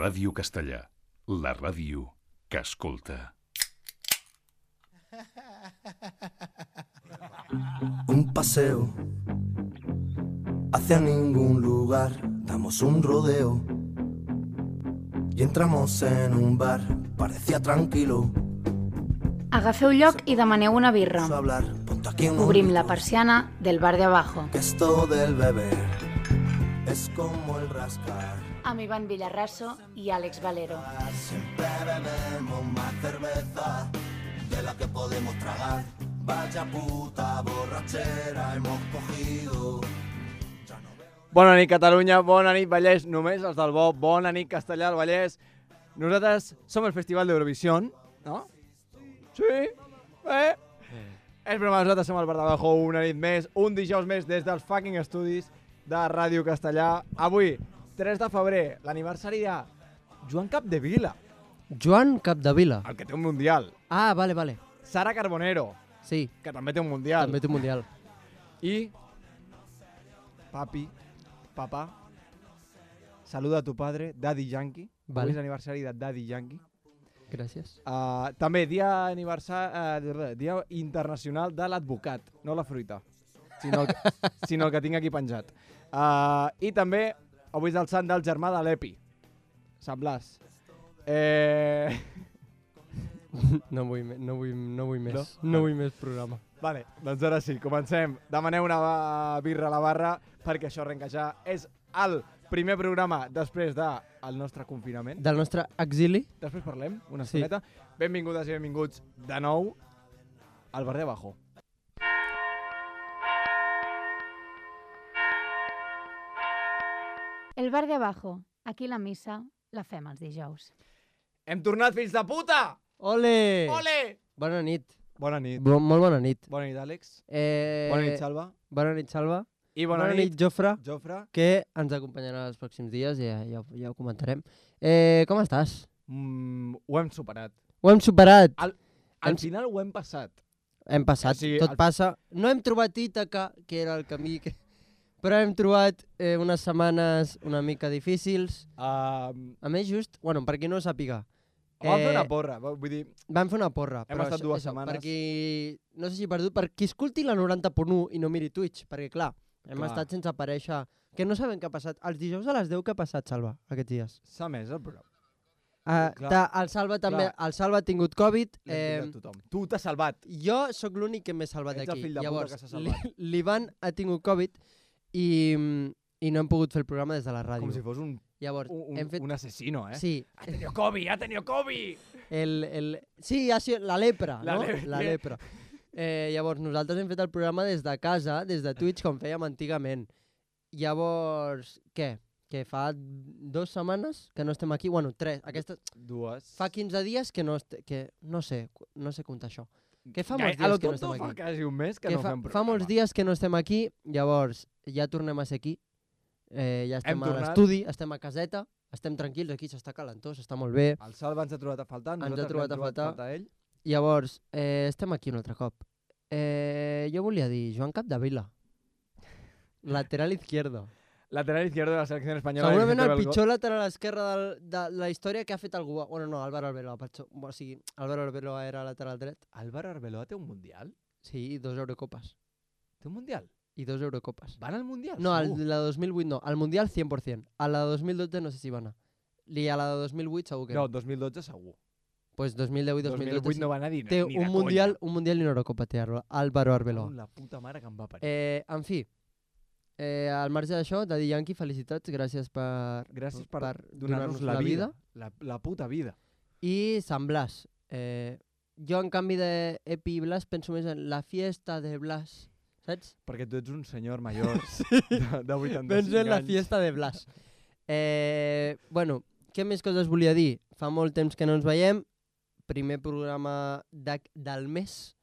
Ràdio Castellà, la ràdio que escolta. Un paseo hacia ningún lugar, damos un rodeo y entramos en un bar, parecía tranquilo. Agafeu lloc i demaneu una birra. Obrim la persiana del bar de abajo. Que esto del beber es como el rascar. Amb Iván Villarraso i Àlex Valero. Siempre bebemos más cerveza de la que podemos tragar. Vaya puta borrachera hemos cogido. Bona nit, Catalunya, bona nit, Vallès, només els del bo, bona nit, Castellà, el Vallès. Nosaltres som el Festival d'Eurovisió, no? Sí? És broma, nosaltres som el Bar de Abajo, una nit més, un dijous més des dels fucking estudis de Ràdio Castellà. Avui, 3 de febrer, l'aniversari de Joan Capdevila. Joan Capdevila. El que té un mundial. Ah, vale. Sara Carbonero. Sí. Que també té un mundial. També té un mundial. I... Papá, saluda a tu padre, Daddy Yankee. Vale. Avui és l'aniversari de Daddy Yankee. Gràcies. També dia internacional de l'advocat, no la fruita, sinó el que tinc aquí penjat. I també avui és el sant del germà de l'Epi, Sant Blas. No vull més. No vull més programa. Vale, doncs ara sí, comencem. Demaneu una birra a la barra perquè això arrenca ja. És el primer programa després del nostre confinament. Del nostre exili. Després parlem una estoneta. Benvingudes i benvinguts de nou al Bar de Abajo. El Bar de Abajo. Aquí la missa la fem els dijous. Hem tornat, fills de puta! Ole! Ole! Bona nit. Bona nit. Molt bona nit. Bona nit, Àlex. Bona nit, Salva. Bona nit, Salva. I bona nit, Jofre, que ens acompanyarà els pròxims dies, ja ho comentarem. Com estàs? Ho hem superat. Ho hem superat. Al final ho hem passat. Hem passat, o sigui, tot passa. No hem trobat Ítaca, que era el camí, però hem trobat unes setmanes una mica difícils. A més, just, per qui no ho sàpiga, vam fer una porra, vull dir... Vam fer una porra. Hem estat 2 setmanes. Per qui no s'hagi perdut, per qui escolti la 90.1 i no miri Twitch, perquè clar, hem estat sense aparèixer, que no sabem què ha passat. Els dijous a les 10 què ha passat, Salva, aquests dies? S'ha més el programa. El Salva també, el Salva ha tingut Covid. Tu t'has salvat. Jo sóc l'únic que m'he salvat d'aquí. Ets el fill de puta que s'ha salvat. L'Ivan ha tingut Covid i no hem pogut fer el programa des de la ràdio. Com si fos un asesino, eh? Sí. Ha tenido COVID! Sí, ha sigut la lepra, no? La lepra. Llavors, nosaltres hem fet el programa des de casa, des de Twitch, com fèiem antigament. Llavors, què? Que fa 2 setmanes que no estem aquí. 3. Aquestes... 2. Fa 15 dies que no sé comptar això. Que fa molts dies que no estem aquí. Fa quasi un mes que no fem programa. Fa molts dies que no estem aquí, llavors ja tornem a ser aquí. Ja estem a l'estudi, estem a caseta, estem tranquils, aquí s'està calentó, s'està molt bé. El Salva ens ha trobat a faltar, ens ha trobat a faltar ell. Llavors, estem aquí un altre cop. Jo volia dir Joan Capdevila, lateral izquierdo. Lateral izquierdo de la selecció espanyola. Segurament el pitjor lateral esquerre de la història que ha fet algú. No, Álvaro Arbeloa. O sigui, Álvaro Arbeloa era lateral dret. Álvaro Arbeloa té un mundial? Sí, 2 Eurocopes. Té un mundial? I 2 Eurocopes. Van al mundial? No, la de 2008 no. Al mundial 100%. A la de 2012 no sé si va anar. I a la de 2008 segur que no. No, 2012 segur. Pues 2010 i 2012 2008 no va anar ni de té conya. un mundial i una Eurocopa té Álvaro Arbeloa. La puta mare que em va parir. En fi, al marge d'això, Daddy Yankee, felicitats, gràcies per donar-nos la vida. La puta vida. I Sant Blas. Jo, en canvi d'Epi i Blas, penso més en la fiesta de Blas, saps? Perquè tu ets un senyor major de 85 anys. Penso en la fiesta de Blas. Què més coses volia dir? Fa molt temps que no ens veiem. Primer programa del mes,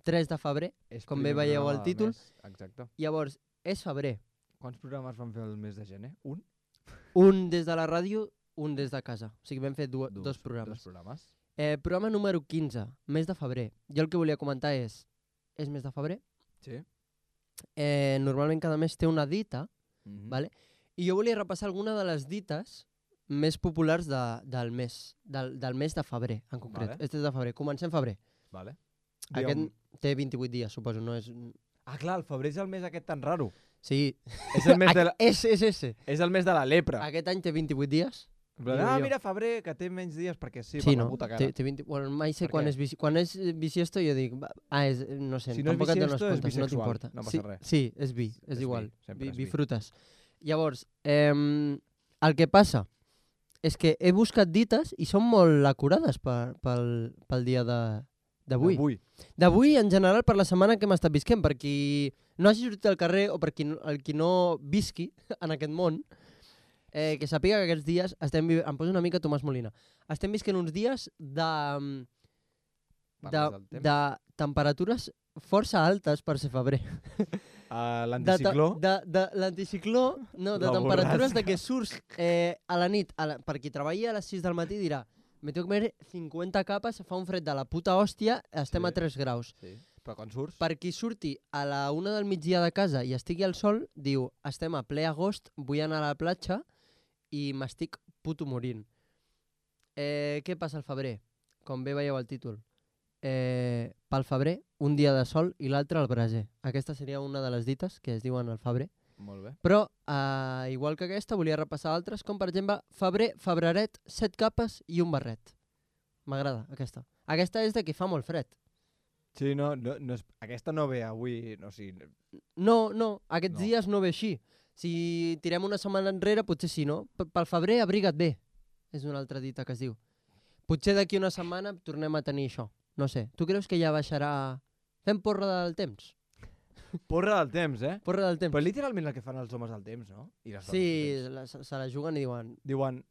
3 de febrer, com bé veieu al títol. Exacte. Llavors, és febrer. Quants programes van fer el mes de gener? Un? Un des de la ràdio, un des de casa. O sigui, vam fer dos programes. Programa número 15, mes de febrer. Jo el que volia comentar és mes de febrer? Sí. Normalment cada mes té una dita, vale? I jo volia repassar alguna de les dites més populars del mes de febrer, en concret. Vale. Este és de febrer. Comencem febrer. Vale. Aquest té 28 dies, suposo, no és... Ah, clar, el febrer és el mes aquest tan raro. Sí. És el mes de la, És ese. és el mes de la lepra. Aquest any té 28 dies. Ah, jo. mira, febrer, que té menys dies perquè sí, Sí, per no? la puta cara. Té 20... Bueno, mai sé Per quan què? quan és bisiesto jo dic... no sé, Si no és tampoc et dono bisiesto, és comptes, no bisexual, t'importa. no passa Sí, res. sí, és bi, és És igual. bi, sempre és bi. Bifrutes. Llavors, el que passa és que he buscat dites i són molt acurades pel dia d'avui. D'avui, en general, per la setmana que hem estat visquent. Per qui no hagi sortit al carrer o per qui no visqui en aquest món, que sàpiga que aquests dies em poso una mica Tomàs Molina. Estem visquent uns dies de temperatures força altes per ser febrer. L'anticicló? De l'anticicló, no, de La temperatures borrasca. de que surts a la nit, per qui treballa a les 6 del matí dirà me tengo que comer 50 capes, fa un fred de la puta hòstia, estem a 3 graus. Sí, però quan surts... Per qui surti a la 1 del migdia de casa i estigui al sol, diu, estem a ple agost, vull anar a la platja i m'estic puto morint. Què passa al febrer? Com bé veieu al títol. Pel febrer, un dia de sol i l'altre al braser. Aquesta seria una de les dites que es diuen al febrer. Molt bé. Però, igual que aquesta, volia repassar altres, com per exemple, febrer, febreret, 7 capes i un barret. M'agrada, aquesta. Aquesta és de que fa molt fred. Sí, no és, aquesta no ve avui, no, sí. No, aquests No. dies no ve així. Si tirem una setmana enrere, potser sí, no? Pel febrer, abriga't bé. És una altra dita que es diu. Potser d'aquí una setmana tornem a tenir això. No sé. Tu creus que ja baixarà... Fem porra del temps? Porra del temps, Porra del temps. Però literalment el que fan els homes del temps, no? I les dones Sí, del temps. se la juguen i diuen... Diuen,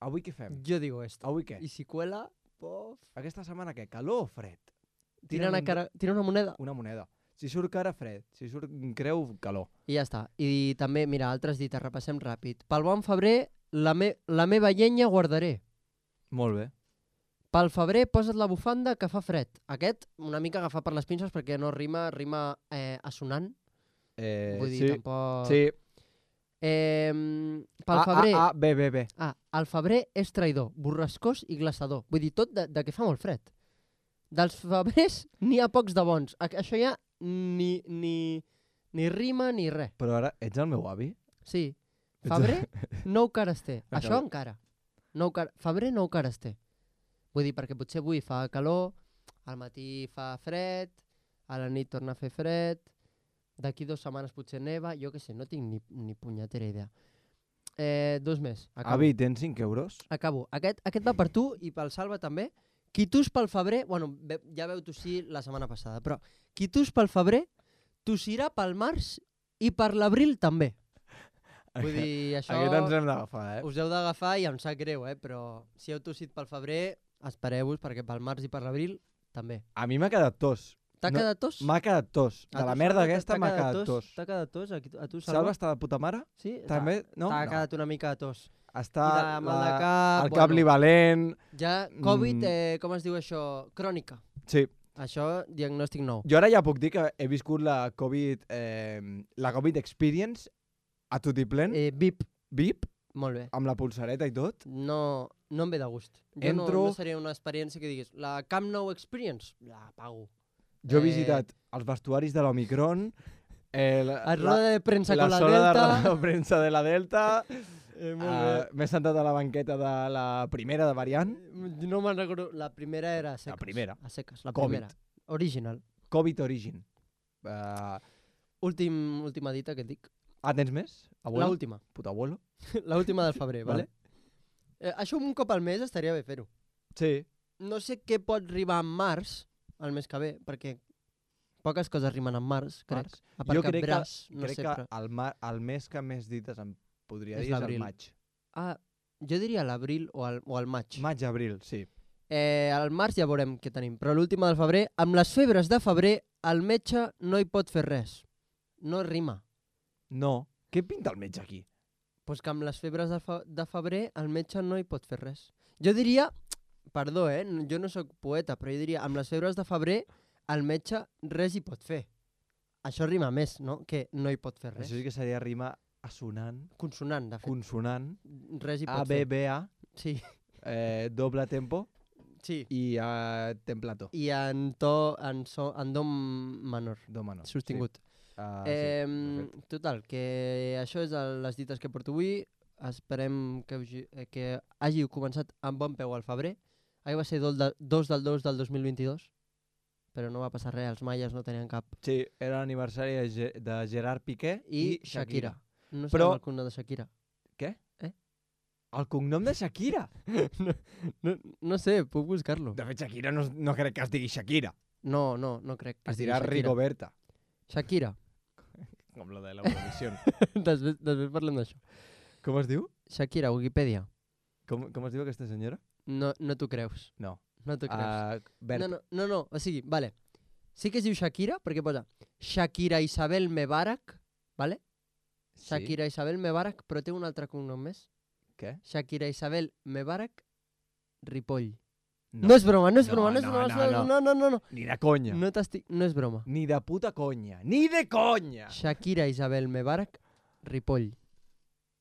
avui què fem? Jo digo esto. Avui què? I si cuela, pof... Aquesta setmana què? Calor o fred? Tira una moneda. Una moneda. Si surt cara, fred. Si surt creu, calor. I ja està. I també, mira, altres dites, repassem ràpid. Pel bon febrer, la meva llenya guardaré. Molt bé. Pel febrer, posa't la bufanda que fa fred. Aquest, una mica agafat per les pinces perquè no rima assonant. Vull dir, sí. tampoc... Sí. Pel febrer... Bé. El febrer és traïdor, borrascós i glaçador. Vull dir, tot de que fa molt fred. Dels febrers n'hi ha pocs de bons. Això ja ni rima ni res. Però ara, ets el meu avi? Sí. Febrer, 9 cares té. Acabo. Això encara. Febrer, 9 cares té. Vull dir, perquè potser avui fa calor, al matí fa fred, a la nit torna a fer fred, d'aquí 2 setmanes potser neva, jo què sé, no tinc ni punyetera idea. 2 més. Acabo. Avi, tens 5 euros? Acabo. Aquest va per tu i pel Salva també. Qui tus pel febrer, bueno, ja veu tossir la setmana passada, però qui tus pel febrer, tossirà pel març i per l'abril també. Vull dir, això... Aquest ens hem d'agafar, Us heu d'agafar i em sap greu, però si heu tossit pel febrer, espereu-vos perquè pel març i per l'abril també. A mi m'ha quedat tos. T'ha quedat tos? M'ha quedat tos. De la merda aquesta m'ha quedat tos. T'ha quedat tos? A tu, Salva està de puta mare? Sí? També? No? T'ha quedat una mica de tos. Està I de mal de cap, el cap li valent. Ja, Covid, com es diu això? Crònica. Sí. Això, diagnòstic nou. Jo ara ja puc dir que he viscut la Covid Experience a tutiplén, VIP. VIP, Molt bé. amb la pulsareta i tot. No em ve de gust. Entro- No seria una experiència que diguis la Camp Nou Experience, la pago. Jo he visitat els vestuaris de l'Omicron, A roda de premsa la con la zona Delta. de premsa de la Delta, Molt bé. m'he sentat a la banqueta de la primera de variant, No me'n recordo. La primera era a seques. La primera. A seques, la Covid. primera. Original. Covid Origin. Última dita que et dic. Tens més? Abuelo? L'última. Puta abuelo. L'última del febrer, vale? Això un cop al mes estaria bé fer-ho. Sí. No sé què pot rimar en març, el mes que ve, perquè poques coses rimen en març, crec. Març. A part Jo que crec braç, que, no crec sé, que però... el mes que més dites em podria És dir és el l'abril. maig. Jo diria l'abril o el maig. Maig-abril, sí. Al març ja veurem què tenim, però l'última del febrer, amb les febres de febrer, el metge no hi pot fer res. No rima. No. Què pinta el metge aquí? Pues que amb les febres de febrer el metge no hi pot fer res. Jo diria, perdó, jo no sóc poeta, però jo diria, amb les febres de febrer el metge res hi pot fer. Això rima més, no? Que no hi pot fer res. Això sí que seria rima Assonant. Consonant, de fet. Consonant. Res hi pot fer. ABBA. Sí. Doble tempo. Sí. I templato. I en do menor. Do menor. Sostingut. Sí. Total, que això és les dites que porto avui. Esperem que hàgiu començat amb bon peu al febrer. Ahir va ser 2 del 2 del 2022, però no va passar res, els maies no tenien cap. Sí, era l'aniversari de Gerard Piqué I Shakira. No Però... sabem el cognom de Shakira. Què? El cognom de Shakira? no sé, puc buscar-lo. De fet, Shakira no crec que es digui Shakira. No crec que es dirà Rigoberta. Shakira. Com la de l'Eurovisió. després parlem d'això. Com es diu? Shakira, Wikipedia. Com es diu aquesta senyora? No t'ho creus. No. No t'ho creus. Berta. No, o sigui, vale. Sí que es diu Shakira, perquè posa Shakira Isabel Mebarak, vale? Shakira Isabel Mebarak, però té un altre cognom més. Què? Shakira Isabel Mebarak Ripoll. No és broma. No. Ni de conya. No és broma. Ni de puta conya. Ni de conya! Shakira Isabel Mebarak Ripoll.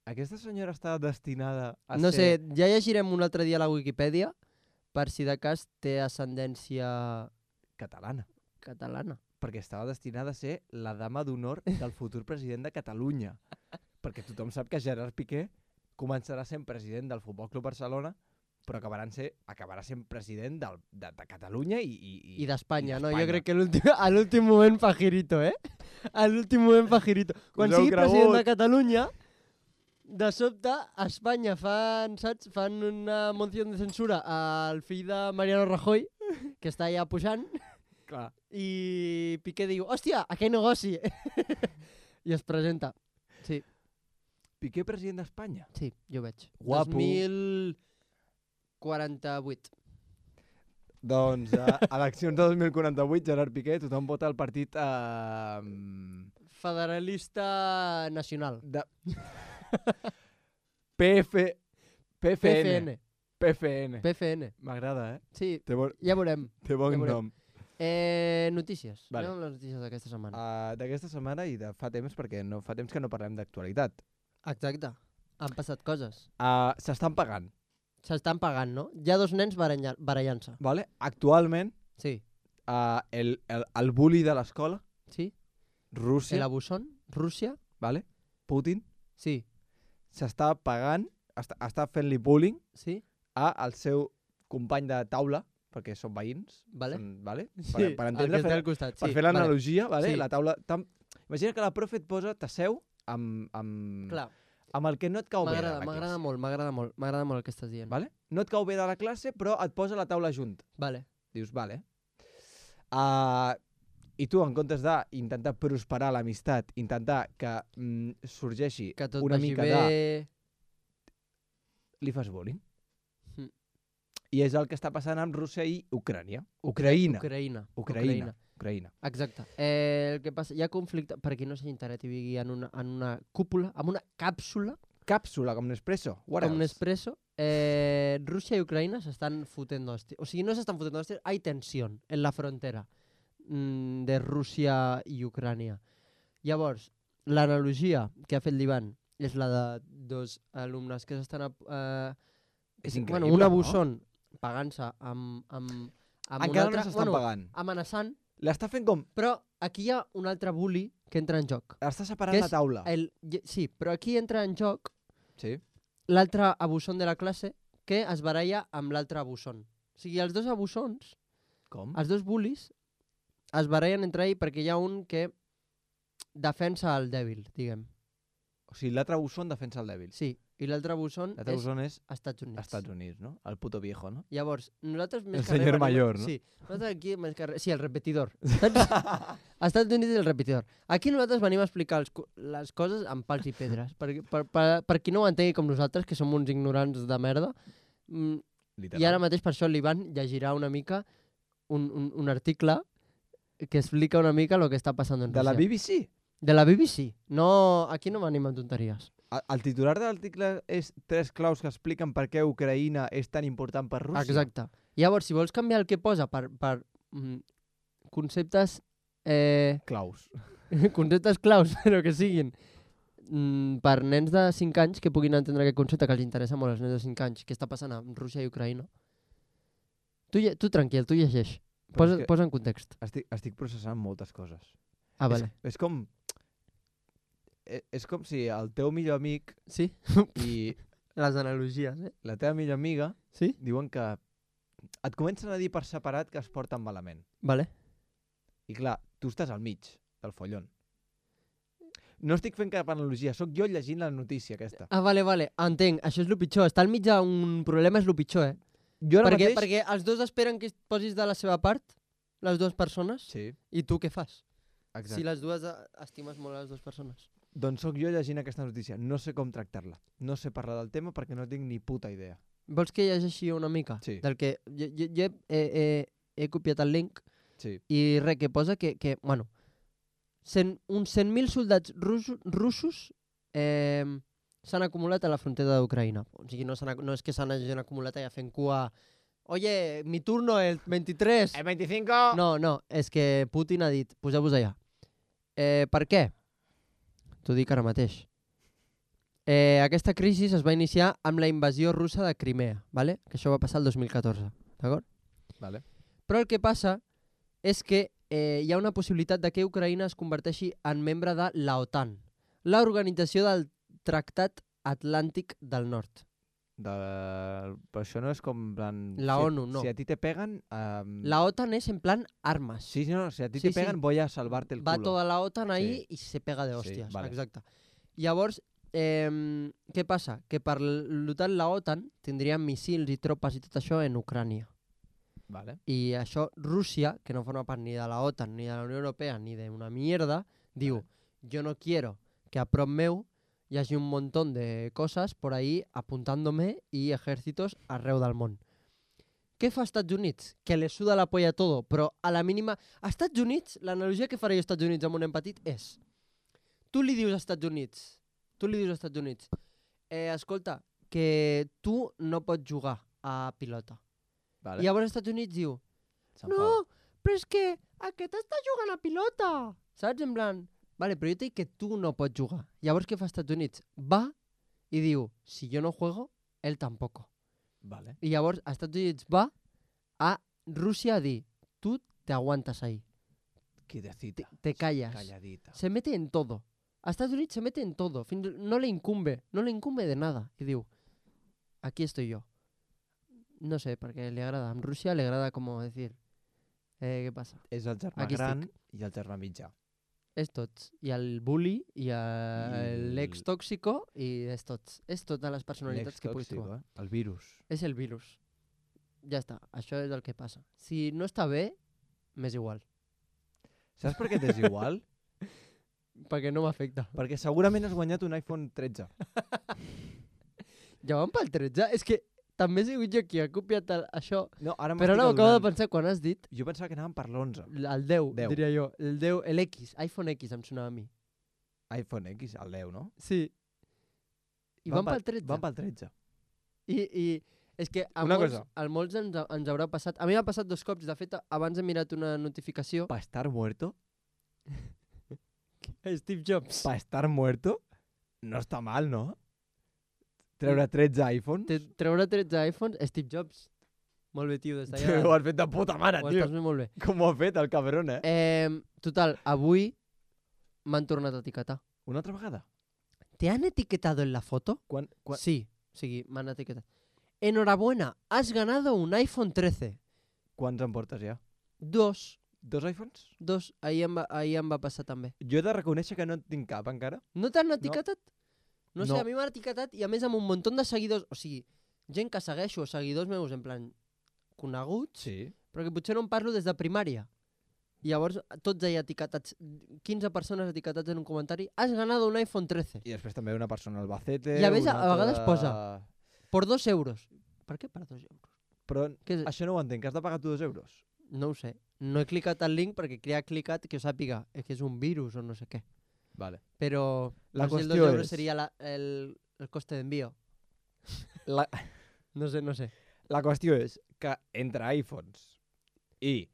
Aquesta senyora està destinada a no ser... sé, ja llegirem un altre dia a la Wikipedia per si de cas té ascendència... Catalana. Perquè estava destinada a ser la dama d'honor del futur president de Catalunya. Perquè tothom sap que Gerard Piqué començarà sent president del Futbol Club Barcelona, però acabarà sent president de Catalunya i d'Espanya, no? Jo crec que a l'últim moment fa girito, A l'últim moment fa girito. Quan sigui president de Catalunya... De sobte, a Espanya fan una moció de censura al fill de Mariano Rajoy, que està allà pujant, clar. I Piqué diu, hòstia, aquell negoci! I es presenta. Sí. Piqué president d'Espanya? Sí, jo veig. Guapo. 2048. Doncs a eleccions de 2048, Gerard Piqué, tothom vota el partit... Federalista Nacional. PFN. M'agrada, Sí, ja veurem. Té bon nom. Notícies. Vale. Anem amb les notícies d'aquesta setmana. D'aquesta setmana i de fa temps, perquè fa temps que no parlem d'actualitat. Exacte. Han passat coses. S'estan pagant. S'estan pagant, no? Hi ha 2 nens barallant-se. Vale? Actualment, sí. El bully de l'escola, sí. Rússia, el abusón, Rússia, vale? Putin, sí. S'està pagant, està fent-li bullying, sí. al seu company de taula, perquè són veïns, vale? Vale? Sí, per entendre, per fer l'analogia, vale? Sí. La taula... Imagina que la profe et posa, t'asseu amb el que no et cau bé de la classe. M'agrada molt el que estàs dient. Vale? No et cau bé de la classe, però et posa la taula junt. Vale. Dius, vale. I tu, en comptes d'intentar prosperar l'amistat, intentar que sorgeixi que tot una vagi mica bé... li fas bullying. I és el que està passant amb Rússia i Ucraïna. Ucraïna. Exacte. El que passa, hi ha conflicte, per qui no s'ha enterat i vigui en una cúpula, en una càpsula. Càpsula, com Nespresso. Com Nespresso. Rússia i Ucraïna s'estan fotent d'hòsties. O sigui, no s'estan fotent d'hòsties, hay tensión en la frontera de Rússia i Ucrània. Llavors, l'analogia que ha fet l'Ivan és la de 2 alumnes que s'estan... és increïble, un abusón pagant-se amb un encara altre... no s'estan pagant. Amenaçant. L'està fent com... Però aquí hi ha un altre bully que entra en joc. Està separant la taula. Sí, però aquí entra en joc sí. L'altre abusón de la classe que es baralla amb l'altre abusón. O sigui, els 2 abussons, els 2 bullies, es barallen entre ells perquè hi ha un que defensa el dèbil, diguem. O sigui, l'altre abusón defensa el dèbil. Sí, i l'altre abusón és Estats Units. Estats Units, no? El puto viejo, no? Llavors, nosaltres més el senyor mayor, no? Sí, nosaltres aquí més que sí, el repetidor. Estats Units és el repetidor. Aquí nosaltres venim a explicar les coses amb pals i pedres. Per qui no ho entengui com nosaltres, que som uns ignorants de merda. I ara mateix per això l'Ivan llegirà una mica un article que explica una mica el que està passant en Rússia. De la BBC? De la BBC. No, aquí no venim amb tonteries. El titular de l'article és 3 claus que expliquen per què Ucraïna és tan important per Rússia. Exacte. Llavors, si vols canviar el que posa per conceptes... claus. Conceptes claus, però que siguin per nens de 5 anys que puguin entendre aquest concepte, que els interessa molt als nens de 5 anys, què està passant amb Rússia i Ucraïna. Tu tranquil, tu llegeix. Posa en context. Estic processant moltes coses. Ah, vale. És com si el teu millor amic Sí? i Les analogies, la teva millor amiga Sí? diuen que et comencen a dir per separat que es porten malament. Vale. I clar, tu estàs al mig del follon. No estic fent cap analogia, sóc jo llegint la notícia aquesta. Ah, vale. Entenc. Això és el pitjor. Estar al mig d'un problema és el pitjor, Jo ara mateix... Perquè els dos esperen que et posis de la seva part, les dues persones, Sí, i tu què fas? exacte. Si les dues estimes molt les dues persones. Doncs sóc jo llegint aquesta notícia. No sé com tractar-la. No sé parlar del tema perquè no tinc ni puta idea. Vols que llegeixi una mica? Sí. Del que jo he copiat el link Sí. i res, que posa que bueno, uns 100.000 soldats russos s'han acumulat a la frontera d'Ucraïna. O sigui, no és que s'hagin acumulat allà fent cua. Oye, mi turno el 23. El 25! No, és que Putin ha dit, poseu-vos allà. Per què? T'ho dic ara mateix. Aquesta crisi es va iniciar amb la invasió russa de Crimea, ¿vale? Que això va passar el 2014, d'acord? Vale. Però el que passa és que hi ha una possibilitat de que Ucraïna es converteixi en membre de l'OTAN, l'Organització del Tractat Atlàntic del Nord. Però això no és com... La ONU, no. Si a ti te peguen... La OTAN es en plan armas. Sí, no, si a ti Sí, te peguen voy a salvarte el Va culo. toda la OTAN ahí Sí. i se pega de hòsties. Sí, vale. Exacte. Llavors, què passa? Que per l'OTAN, la OTAN tindria missils i tropes i tot això en Ucrània. Vale. I això, Rússia, que no forma part ni de la OTAN, ni de la Unió Europea, ni d'una mierda, diu, yo no quiero que a prop meu hi hagi un montón de cosas por ahí apuntándome y ejércitos arreu del món. Què fa Estats Units? Que le suda la polla todo, però a la mínima... A Estats Units, l'analogia que faré jo a Estats Units amb un nen petit és... Tu li dius als Estats Units, escolta, que tu no pots jugar a pilota. Vale. I llavors als Estats Units diu, no, però és que aquest està jugant a pilota. Saps? En plan, vale, però jo t'he dit que tu no pots jugar. Llavors què fa als Estats Units? Va i diu, si jo no juego, él tampoco. Vale. I llavors als Estats Units va a Rússia a dir, tu te aguantas ahí, Quietecita. te callas. Calladita. Se mete en todo. A Estados Unidos se mete en todo. No le incumbe de nada. Y digo, aquí estoy yo. No sé, perquè li agrada. En Rússia li agrada com decir, què passa? És el germà Aquí gran estic. i el germà mitjà. És tots. I el bully, i l'ex tòxico, i és tots. És totes les personalitats que puguis trobar. El virus. És el virus. Ja està. Això és el que passa. Si no està bé, m'és igual. Saps per què t'és igual? Perquè no m'afecta. Perquè segurament has guanyat un iPhone 13. Ja van pel 13? És que també he sigut jo qui ha copiat això. No, ara Però ara m'acabo de pensar quan has dit Jo pensava que anàvem per l'11. el 10, 10. diria jo. El 10, l'X, iPhone X em sonava a mi. iPhone X, el 10, no? Sí. I van pel 13. Van pel 13. I és que a molts ens haurà passat... A mi m'ha passat 2 cops. De fet, abans he mirat una notificació. Pa estar muerto? Steve Jobs. Pa estar muerto? No està mal, no? Treure 13 iPhones? Treure 13 iPhones, Steve Jobs. Molt bé, tio, des d'allà. Ho has fet de puta mare, Ho tio. estàs fent molt bé. Com ho ha fet, el cabron, Total, avui m'han tornat a etiquetar. Una altra vegada? ¿Te han etiquetado en la foto? Sí, o sigui, m'han etiquetat. Enhorabuena, has ganado un iPhone 13. Quants en portes ja? 2. 2 iPhones? 2. Ahir em va passar també. Jo he de reconèixer que no en tinc cap encara. No t'han etiquetat? No sé, No. a mi m'han etiquetat i a més amb un munt de seguidors, o sigui, gent que segueixo, seguidors meus en plan coneguts, Sí. però que potser no em parlo des de primària. I llavors tots allà etiquetats, 15 persones etiquetats en un comentari, has ganado un iPhone 13. I després també una persona al Albacete... I a més, una a vegades altra posa por 2 euros. Per què per 2 euros? Però Què és? això no ho entenc, que has de pagar tu 2 euros. No ho sé. No he clicat el link perquè qui ha clicat que ho sàpiga que és un virus o no sé què. Vale. Però La no sé si el qüestió 2 euros és- seria el coste d'envío. La, No sé. la qüestió és que entre iPhones i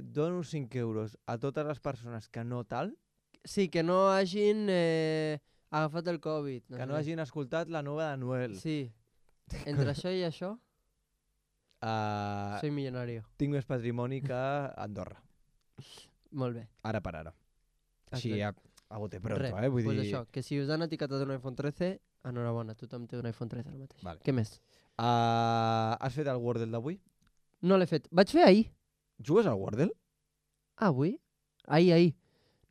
dono 5 euros a totes les persones que no tal, Sí, que no hagin agafat el Covid. Que no hagin escoltat la nova de Noel. Sí. Entre això i això, soy millonario. Tinc més patrimoni que Andorra. Molt bé. Ara per ara. Així a bote pronto, Res, Vull pues dir... això, que si us han etiquetat un iPhone 13, enhorabona, tothom té un iPhone 13 ara mateix. Vale. Què més? Has fet el Wordle d'avui? No l'he fet. Vaig fer ahir. Jugues al Wordle? Avui? Ahir.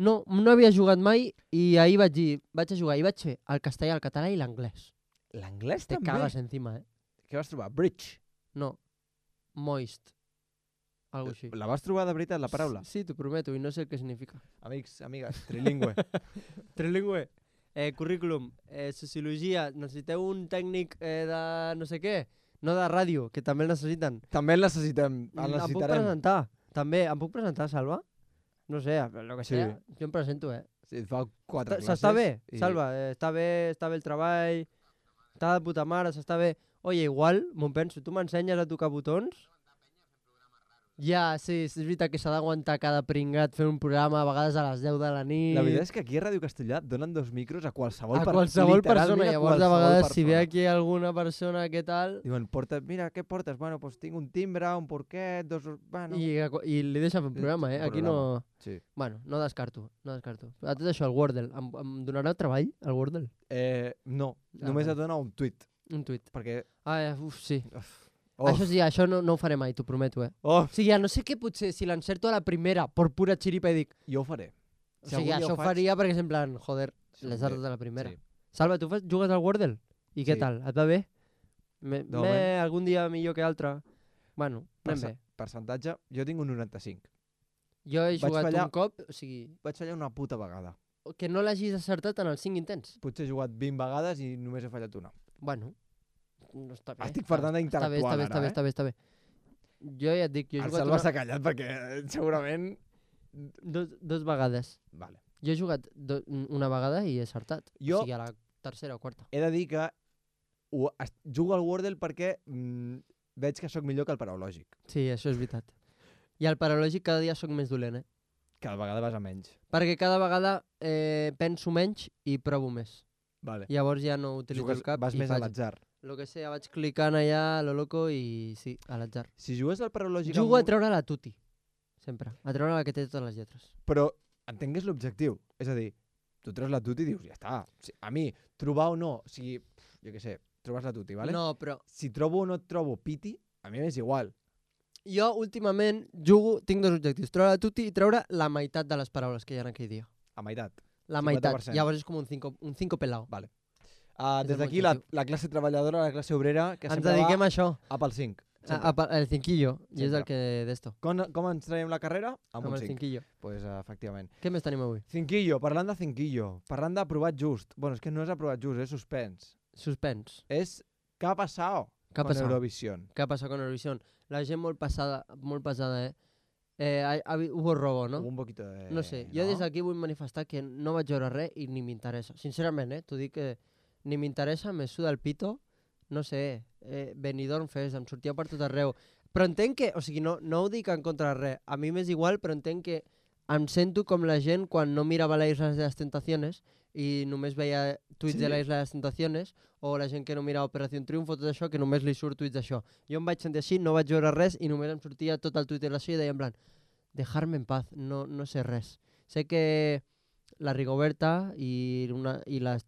No havia jugat mai i ahir vaig a jugar i vaig fer el castellà, el català i l'anglès. L'anglès Te també? cagues encima, Què vas trobar? Bridge? No. Moist. Algo així. La vas trobar de veritat, la paraula? Sí, t'ho prometo, i no sé què significa. Amics, amigues, trilingüe. Trilingüe. Currículum. Sociologia. Necessiteu un tècnic de no sé què. No de ràdio, que també el necessiten. També el necessitem. El Em puc necessitarem. presentar. També. Em puc presentar, Salva? No sé, el que Sí. sea. Jo em presento, Sí, fa 4 classes. S'està bé, i- Salva. Està bé el treball. Està de puta mare, s'està bé. Oye, igual, m'ho penso, tu m'ensenyes a tocar botons? Ja, sí, és veritat que s'ha d'aguantar cada pringat fent un programa, a vegades a les 10 de la nit. La veritat és que aquí a Ràdio Castellà donen 2 micros a qualsevol a persona. qualsevol persona. Llavors, a vegades, si ve persona. aquí alguna persona, què tal? Diuen, mira, què portes? Bueno, pues tinc un timbre, un porquet, 2... Bueno. I li deixen fer un programa, eh? Aquí no... Sí. Bueno, no descarto. A tot això, el Wordle. Em donarà treball, el Wordle? No, només vale. et dona un tuit. Un tuit. Perquè... Sí. Oh. Això sí, això no ho faré mai, t'ho prometo, Oh, O sigui, ja no sé què potser, si l'encerto a la primera, per pura xiripa i dic... jo ho faré. O sigui, això ho faria perquè és en plan, joder, les arts de la primera. Sí. Salva, tu jugues al Wordle? I què Sí. tal? Et va bé? De moment. Algun dia millor que altre. Bueno, anem bé. Percentatge, jo tinc un 95. Jo he Vaig jugat fallar. un cop, o sigui, Vaig fallar una puta vegada. que no l'hagis acertat en els 5 intents. Potser he jugat 20 vegades i només he fallat una. Bueno, no està bé. Estic per tant d'intel·lectual ara, Està bé. Jo ja et dic, jo he El jugat Salva s'ha callat perquè segurament... dos vegades. Vale. Jo he jugat una vegada i he acertat. Jo- O sigui, a la tercera o quarta. He de dir que jugo al Wordle perquè veig que sóc millor que el paraulògic. Sí, això és veritat. I al paralògic cada dia sóc més dolent, eh? Cada vegada vas a menys. Perquè cada vegada penso menys i provo més. Vale. Llavors ja no utilitzo el cap vas i més a faig l'atzar. lo que sé, vaig clicant allà a lo loco i sí, a l'atzar. Si jugues al paraulògic... Jugo a treure la tuti, sempre. A treure la que té totes les lletres. Però entengués l'objectiu. És a dir, tu treus la tuti i dius, ja està. A mi, trobar o no, o sigui, jo què sé, trobes la tuti, vale? No, però Si trobo o no et trobo piti, a mi m'és igual. jo últimament jugo, tinc dos objectius, treure la tuti i treure la meitat de les paraules que hi ha en aquell dia. A meitat. La 50%. meitat. Llavors és com un cinco pelao. Vale. És Des el d'aquí meu la classe treballadora, la classe obrera, que Ens sempre dediquem va a això, a pel 5. el cinquillo, i és Sempre. el que d'esto, Com ens traiem la carrera? Amb amb un el 5. cinquillo. Pues, efectivament. Què més tenim avui? Cinquillo, parlant de cinquillo, parlant d'aprovat just. Bueno, és que no és aprovat just, és suspens. Suspens. És què ha passat Què ha con passat? Eurovisión. ¿Qué ha pasado con Eurovisión? La gent molt pesada, ¿eh? Hubo robo, Hubo no? un poquito de... No sé, jo des d'aquí vull manifestar que no vaig veure res i ni m'interessa. Sincerament, t'ho dic que ni m'interessa, me suda el pito, no sé, Benidorm Fest, em sortia per tot arreu. Però entenc que, o sigui, no ho dic en contra de res, a mi m'és igual, però entenc que em sento com la gent quan no mirava la Isla de las Tentaciones i només veia tuits Sí. de la Isla de las Tentaciones, o la gent que no mirava Operació Triunfo, tot això, que només li surt tuits d'això. Jo em vaig sentir així, no vaig veure res i només em sortia tot el tuit de l'això i deia en plan, dejarme en paz, no sé res. Sé que la Rigoberta i les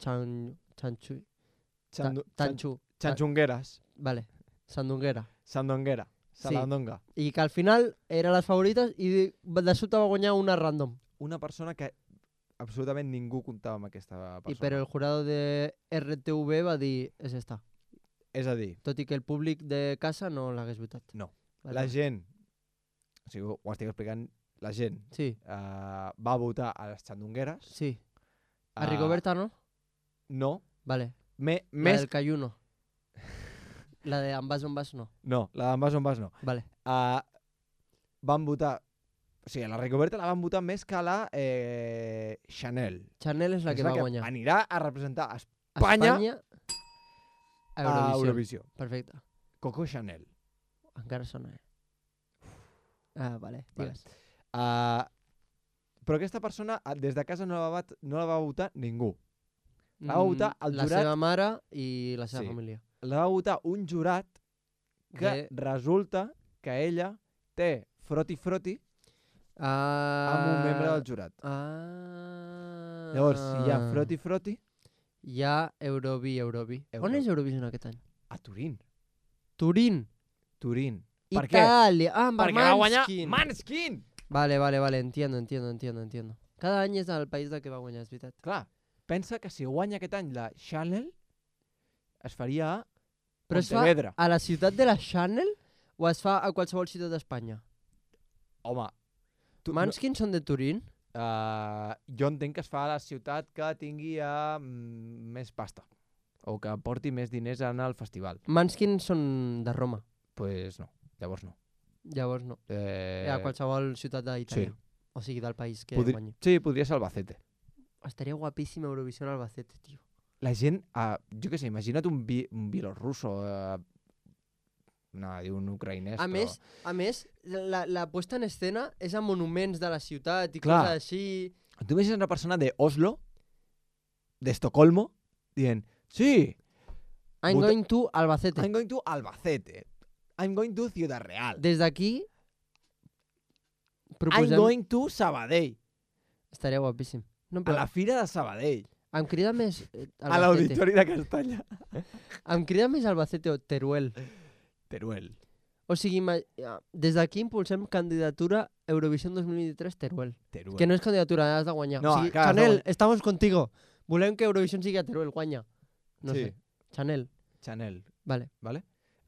Chanchungueras. Vale, Sandunguera. Sandonguera. Sí. Salandonga. I que al final eren les favorites i de sobte va guanyar una random. Una persona que absolutament ningú comptava amb aquesta persona. I però el jurado de RTV va dir, és esta. És a dir, Tot i que el públic de casa no l'hagués votat. No. Vale. la gent, o sigui, ho estic explicant, la gent Sí, va votar a les xandongueres. sí. A Rigoberta no? No. Vale. La Més... del Cayuno. La de Ambas Bombas no. No, la d'en Vas on vas no. Vale. Van votar... O sigui, a la Rigoberta la van votar més que a la Chanel. Chanel és la que va guanyar. Anirà a representar a Espanya a a Eurovisió. Perfecte. Coco Chanel. Encara sona, eh? Vale, Vale. digues. Però aquesta persona, des de casa no la va votar ningú. La va votar el jurat... La seva mare i la seva família. La va votar un jurat que resulta que ella té froti-froti amb un membre del jurat. Llavors, si hi ha froti-froti... Hi ha Eurovi. On és Eurovision aquest any? A Turín. Turín. Per què? Itàlia. Perquè va guanyar Måneskin! Vale, entiendo. Cada any és el país del que va guanyar, és veritat. Clar, pensa que si guanya aquest any la Chanel, es faria a Però es fa Pontevedra. a la ciutat de la Chanel o es fa a qualsevol ciutat d'Espanya? Home, Måneskin són de Turín? jo entenc que es fa a la ciutat que tingui més pasta o que porti més diners en el festival. Måneskin són de Roma. Pues no, llavors no. Llavors no. A qualsevol ciutat d'Itàlia. Sí. O sigui, del país que guanyi. Sí, podria ser Albacete. Estaria guapíssim Eurovisió en Albacete, tio. La gent, jo què sé, imagina't un bielorrusso, un ucraïnès, A més, la puesta en escena és a monuments de la ciutat i Clar. coses així. Tu imagines una persona de Oslo, de Estocolmo, dient, sí, I'm going to Albacete. I'm going to Albacete. I'm going to Ciudad Real. Des d'aquí I'm going to Sabadell. Estaria guapíssim. No, A la fira de Sabadell. Em crida més A l'Auditori de Castalla. Em crida més Albacete o Teruel. Teruel. O sigui, des d'aquí impulsem candidatura Eurovision 2023 Teruel. Que no és candidatura, has de guanyar. No, o sigui, clar, Chanel, no. estamos contigo. Volem que Eurovision sigui a Teruel, guanya. No sé. Chanel. Vale.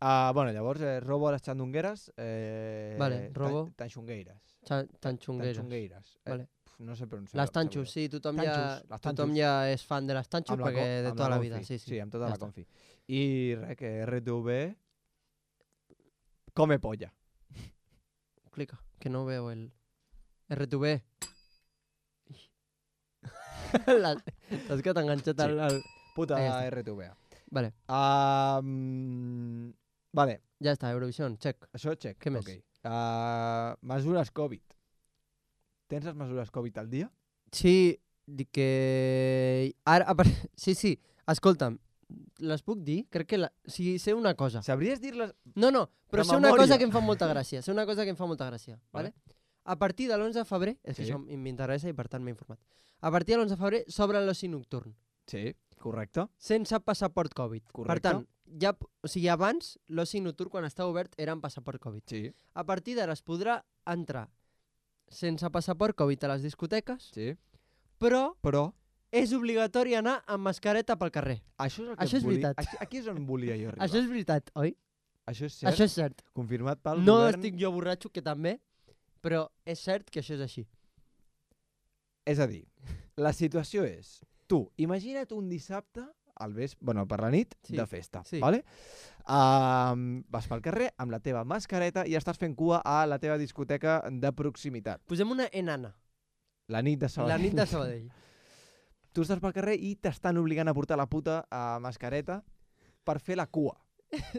Bueno, llavors, robo a les xandongueres. Vale, robo. Tanxongueires. Tanxongueires. Vale. No sé pronunciar. Les tanxos, sí, tothom ja és fan de les tanxos perquè de tota la vida. Sí, amb tota la confi. I res, que RTV come polla. Clica, que no veo el RTV. Saps que t'ha enganxat al... Puta RTV. Vale. Vale. Ja està, Eurovision, check. Això, check. Què més? Okay. Mesures Covid. Tens les mesures Covid al dia? Sí, dic que... Ara, sí, escolta'm, les puc dir? Crec que sé una cosa. Sabries dir-les? No, però sé una cosa que em fa molta gràcia. Vale? A partir de l'11 de febrer, és que això m'interessa i per tant m'he informat. A partir de l'11 de febrer s'obre l'oci nocturn. Sí, correcte. Sense passaport Covid. Correcte. Per tant, o sigui, abans l'oci nocturn quan estava obert era amb passaport Covid. Sí. A partir d'ara es podrà entrar sense passaport Covid a les discoteques, però és obligatori anar amb mascareta pel carrer. Això és veritat. Aquí és on volia jo arribar. Això és veritat, oi? Això és cert. Això és cert. Confirmat pel govern. govern. No estic jo borratxo, que també, però és cert que això és així. És a dir, la situació és, tu, imagina't un dissabte per la nit de festa, vale? Vas pel carrer amb la teva mascareta i estàs fent cua a la teva discoteca de proximitat. Posem una enana. La nit de Sabadell. Tu estàs pel carrer i t'estan obligant a portar la puta mascareta per fer la cua.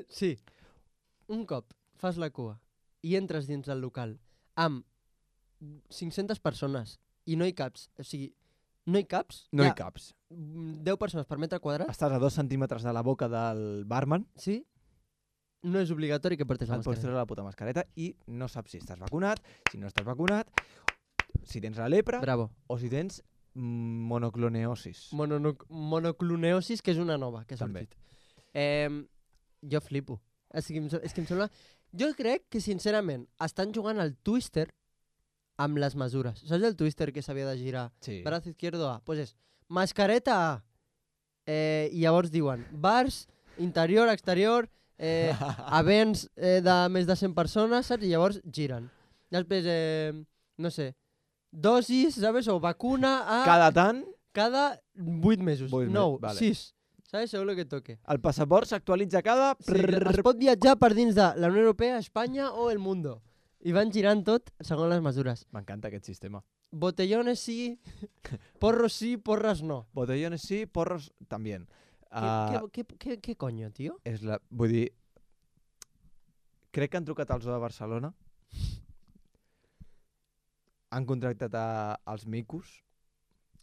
Sí. Un cop fas la cua i entres dins del local amb 500 persones i no hi caps, o sigui, no hi caps? No hi caps. 10 persones per metre quadrat. Estàs a 2 centímetres de la boca del barman. Sí. No és obligatori que portis la mascareta. Et pots treure la puta mascareta i no saps si estàs vacunat, si no estàs vacunat, si tens la lepra o si tens monocloneosis. Monocloneosis, que és una nova que ha sortit. Jo flipo. És que em sembla... Jo crec que, sincerament, estan jugant al Twister amb les mesures. Saps el Twister que s'havia de girar? Sí. Brazo izquierdo A. Pues és mascareta A. I llavors diuen bars, interior, exterior, events de més de 100 persones, saps? I llavors giren. Després, no sé, dosis, ¿sabes? O vacuna a... Cada tant? Cada 8 mesos. 9, vale. 6. ¿Sabes? Según lo que toque. El passaport s'actualitza cada... Sí, es pot viatjar per dins de la Unió Europea, Espanya o el mundo. I van girant tot segons les mesures. M'encanta aquest sistema. Botellones sí, porros sí, porras no. Botellones sí, porros també. ¿Qué coño, tío? Vull dir, crec que han trucat al Zoo de Barcelona. han contractat als micos.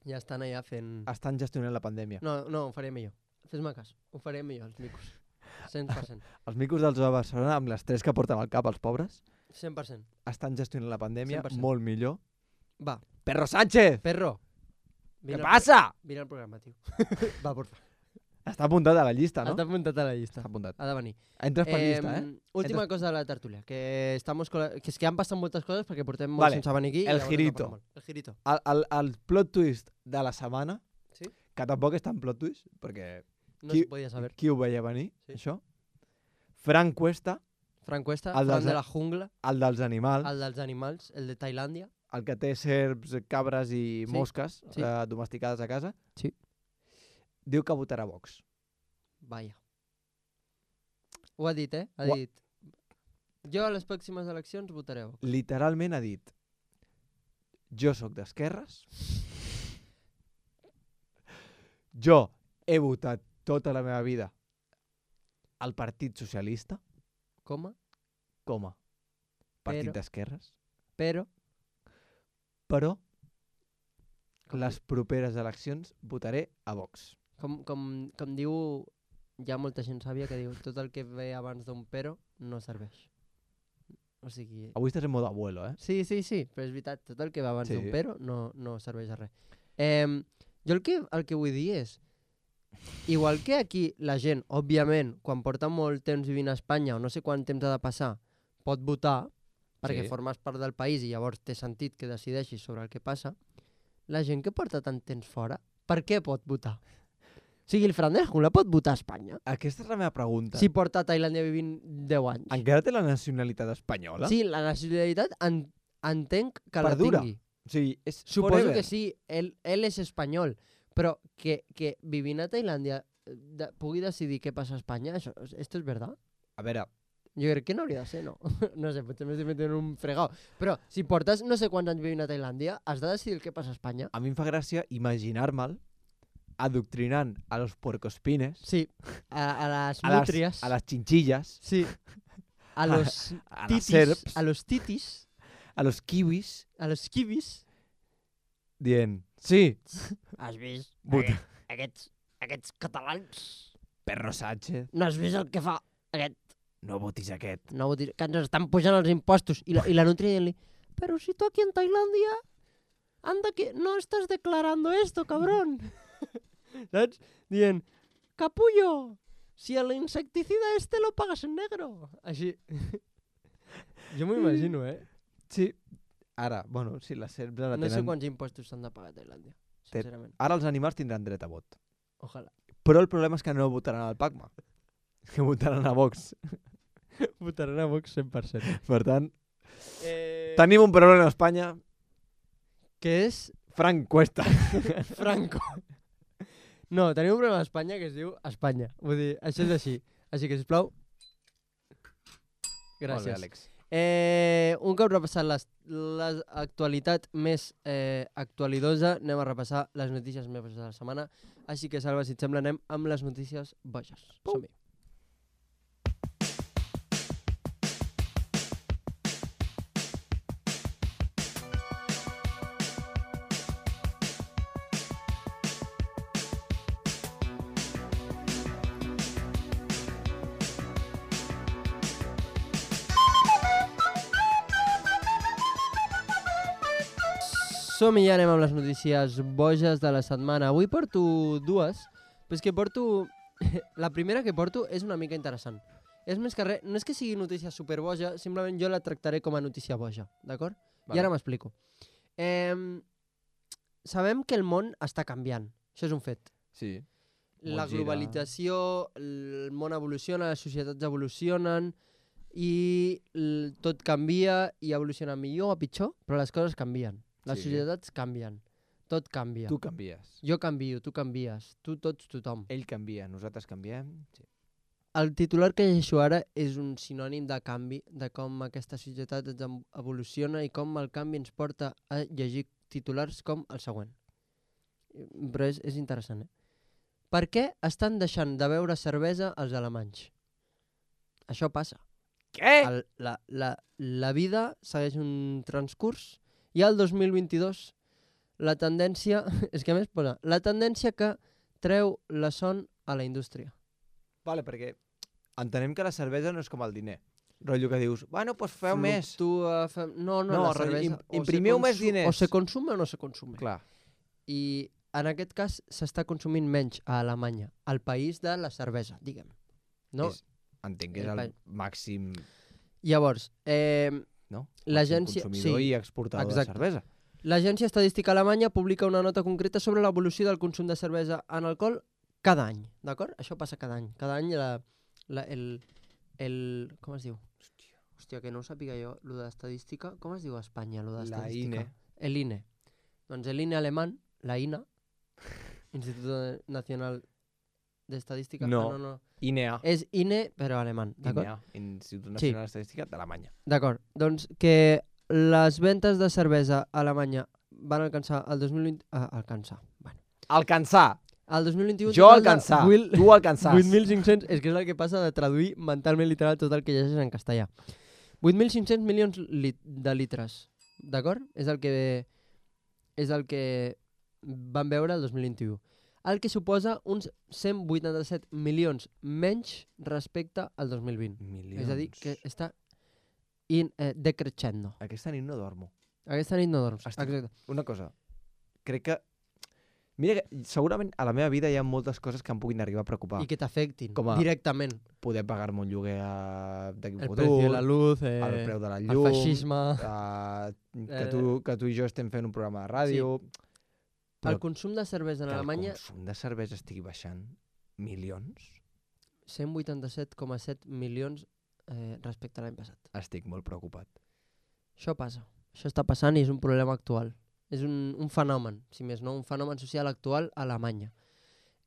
Ja estan allà fent... Estan gestionant la pandèmia. No, ho faré millor. Fes-me cas. Ho faré millor, els micos. 100%. Els micos dels de Barcelona, amb l'estrès que porten al cap els pobres, 100%. estan gestionant la pandèmia 100%. molt millor. Va. Perro Sánchez! Perro. Què passa? Vine al programa, tio. Va, porfa. Està apuntat a la llista, no? Està apuntat a la llista. Està apuntat. Ha de venir. Entres per llista, Última cosa de la tertúlia, que és que han passat moltes coses perquè portem molt Vale. sense venir aquí. El i llavors girito. no parlem molt. El girito. El plot twist de la setmana, Sí? que tampoc és tan plot twist, perquè No se podia saber. qui ho veia venir, Sí. això? Fran Cuesta, Fran Cuesta, El Fran dels- de la jungla, el dels animals, el dels animals, el de Tailàndia. el que té serps, cabres i Sí, mosques sí. domesticades a casa, Sí. diu que votarà Vox. Vaya. Ho ha dit, Ha Ho ha- dit. Jo a les pròximes eleccions votaré Vox. Literalment ha dit: jo sóc d'esquerres, jo he votat tota la meva vida al Partit Socialista, Coma, com a partit Però- d'esquerres, però... però Com, les properes eleccions votaré a Vox. com diu, hi ha molta gent sàvia que diu tot el que ve abans d'un però no serveix. O sigui... Avui estàs en modo abuelo, eh? Sí, però és veritat, tot el que va abans Sí. d'un però no serveix a res. Jo el que vull dir és, igual que aquí la gent, òbviament, quan porta molt temps vivint a Espanya o no sé quant temps ha de passar, pot votar, perquè Sí. formes part del país i llavors té sentit que decideixis sobre el que passa, la gent que porta tant temps fora, per què pot votar? O sigui, el Fran de la Jungla pot votar a Espanya? Aquesta és la meva pregunta. Si porta a Tailàndia vivint 10 anys. Encara té la nacionalitat espanyola? Sí, la nacionalitat entenc que Perdura. la tingui. O sigui, és Suposo forever. que sí, él és espanyol, però que vivint a Tailàndia pugui decidir què passa a Espanya, esto és verdad? A veure, Jo crec que no hauria de ser, no? No sé, potser m'estic metent en un fregau. Però si portes no sé quants anys vivint a Tailàndia, has de decidir el que passa a Espanya. a mi em fa gràcia imaginar-me'l adoctrinant a los puercospines, Sí, a les a les, nútries. a les chinchillas, Sí. A los a les titis. serps, A los titis. a los kiwis, A los kiwis. dient, sí, Has vist? Vota. Aquests catalans. Perro Sánchez, No has vist el que fa aquest? no votis aquest. No vull dir que ens estan pujant els impostos. I la nutria dient-li, però si tu aquí en Tailàndia anda que no estàs declarando esto, cabrón. Saps? Dient, capullo, si el insecticida este lo pagas en negro. Així. Jo m'ho imagino, Sí, ara, bueno, sí, les serps ara No sé tenen... quants impostos s'han de pagar a Tailàndia, sincerament. Ara els animals tindran dret a vot. Ojalà. Però el problema és que no votaran al PACMA, que votaran a Vox. Votaran a Vox 100%. Per tant, tenim un problema a Espanya, Que és Fran Cuesta. Franco. No, tenim un problema a Espanya que es diu Espanya. Vull dir, això és així. Així que, sisplau, Molt bé, gràcies. Àlex. Un cop repassat l'actualitat més actualidosa, anem a repassar les notícies més boges de la setmana. Així que, Salva, si et sembla, anem amb les notícies boges. Som-hi. Som-hi, ja anem amb les notícies boges de la setmana. Avui porto dues, però és que porto... La primera que porto és una mica interessant. És més que res, no és que sigui notícia superboja, simplement jo la tractaré com a notícia boja, d'acord? Vale. I ara m'explico. Sabem que el món està canviant, això és un fet. Sí. La Molt gira. globalització, el món evoluciona, les societats evolucionen i tot canvia i evoluciona millor o pitjor, però les coses canvien. Les Sí. societats canvien. Tot canvia. Tu canvies. Jo canvio, tu canvies. Tu, tots, tothom. Ell canvia, nosaltres canviem. Sí. El titular que llegeixo ara és un sinònim de canvi, de com aquesta societat evoluciona i com el canvi ens porta a llegir titulars com el següent. Però és interessant, Per què estan deixant de beure cervesa els alemanys? Això passa. Què? La vida segueix un transcurs I al 2022, la tendència... És que a més posa... La tendència que treu la son a la indústria. Vale, perquè entenem que la cervesa no és com el diner. Rotllo que dius, bueno, doncs feu més. No, la cervesa... Imprimiu més diners. O se consume o no se consume. Clar. I en aquest cas s'està consumint menys a Alemanya, al país de la cervesa, diguem. No? Entenc que és el màxim... Llavors, no? l'agència... Consumidor i exportador de cervesa. L'Agència Estadística Alemanya publica una nota concreta sobre l'evolució del consum de cervesa en alcohol cada any, d'acord? Això passa cada any. Cada any com es diu? Hòstia, que no ho sàpiga jo, lo d'estadística. Com es diu a Espanya, lo d'estadística? La INE. El INE. Doncs l'INE alemán, la INA, Institut Nacional d'Estadística. No. INEA. És INE, però alemany, d'acord? INEA, Institut Nacional d'Estadística d'Alemanya. D'acord, doncs que les ventes de cervesa a Alemanya van alcançar el 2020... Alcançar! El 2021... Jo alcançar, tu alcançàs. 8.500... És que és el que passa de traduir mentalment literal tot el que llegeixes en castellà. 8.500 milions de litres, d'acord? És el que van veure el 2021. El que suposa uns 187 milions menys respecte al 2020. Milions. És a dir, que està decreixendo. Aquesta nit no dormo. Aquesta nit no dorms. Exacte. Una cosa, crec que... Mira que segurament a la meva vida hi ha moltes coses que em puguin arribar a preocupar. I que t'afectin directament. Poder pagar-me un lloguer d'aquí un futur. El preu de la luz, el preu de la llum, el feixisme... que tu i jo estem fent un programa de ràdio... Sí. El consum de cervesa en Alemanya... Que el consum de cervesa estigui baixant milions? 187,7 milions respecte a l'any passat. Estic molt preocupat. Això passa. Això està passant i és un problema actual. És un fenomen, si més no, un fenomen social actual a Alemanya.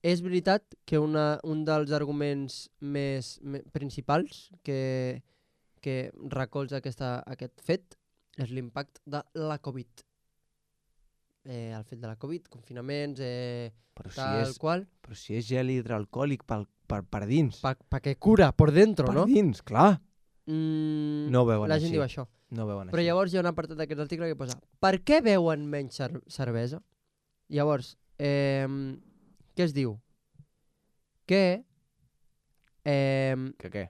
És veritat que un dels arguments més principals que recolza aquest fet és l'impacte de la Covid. El fet de la Covid, confinaments, qual... Però si és gel hidroalcohòlic per dins. Perquè cura per dentro, no? Per dins, clar. No ho veuen així. La gent diu això. No veuen però així. Llavors hi ha un apartat d'aquest article que posa per què beuen menys cervesa? Llavors, què es diu? Que... Que què?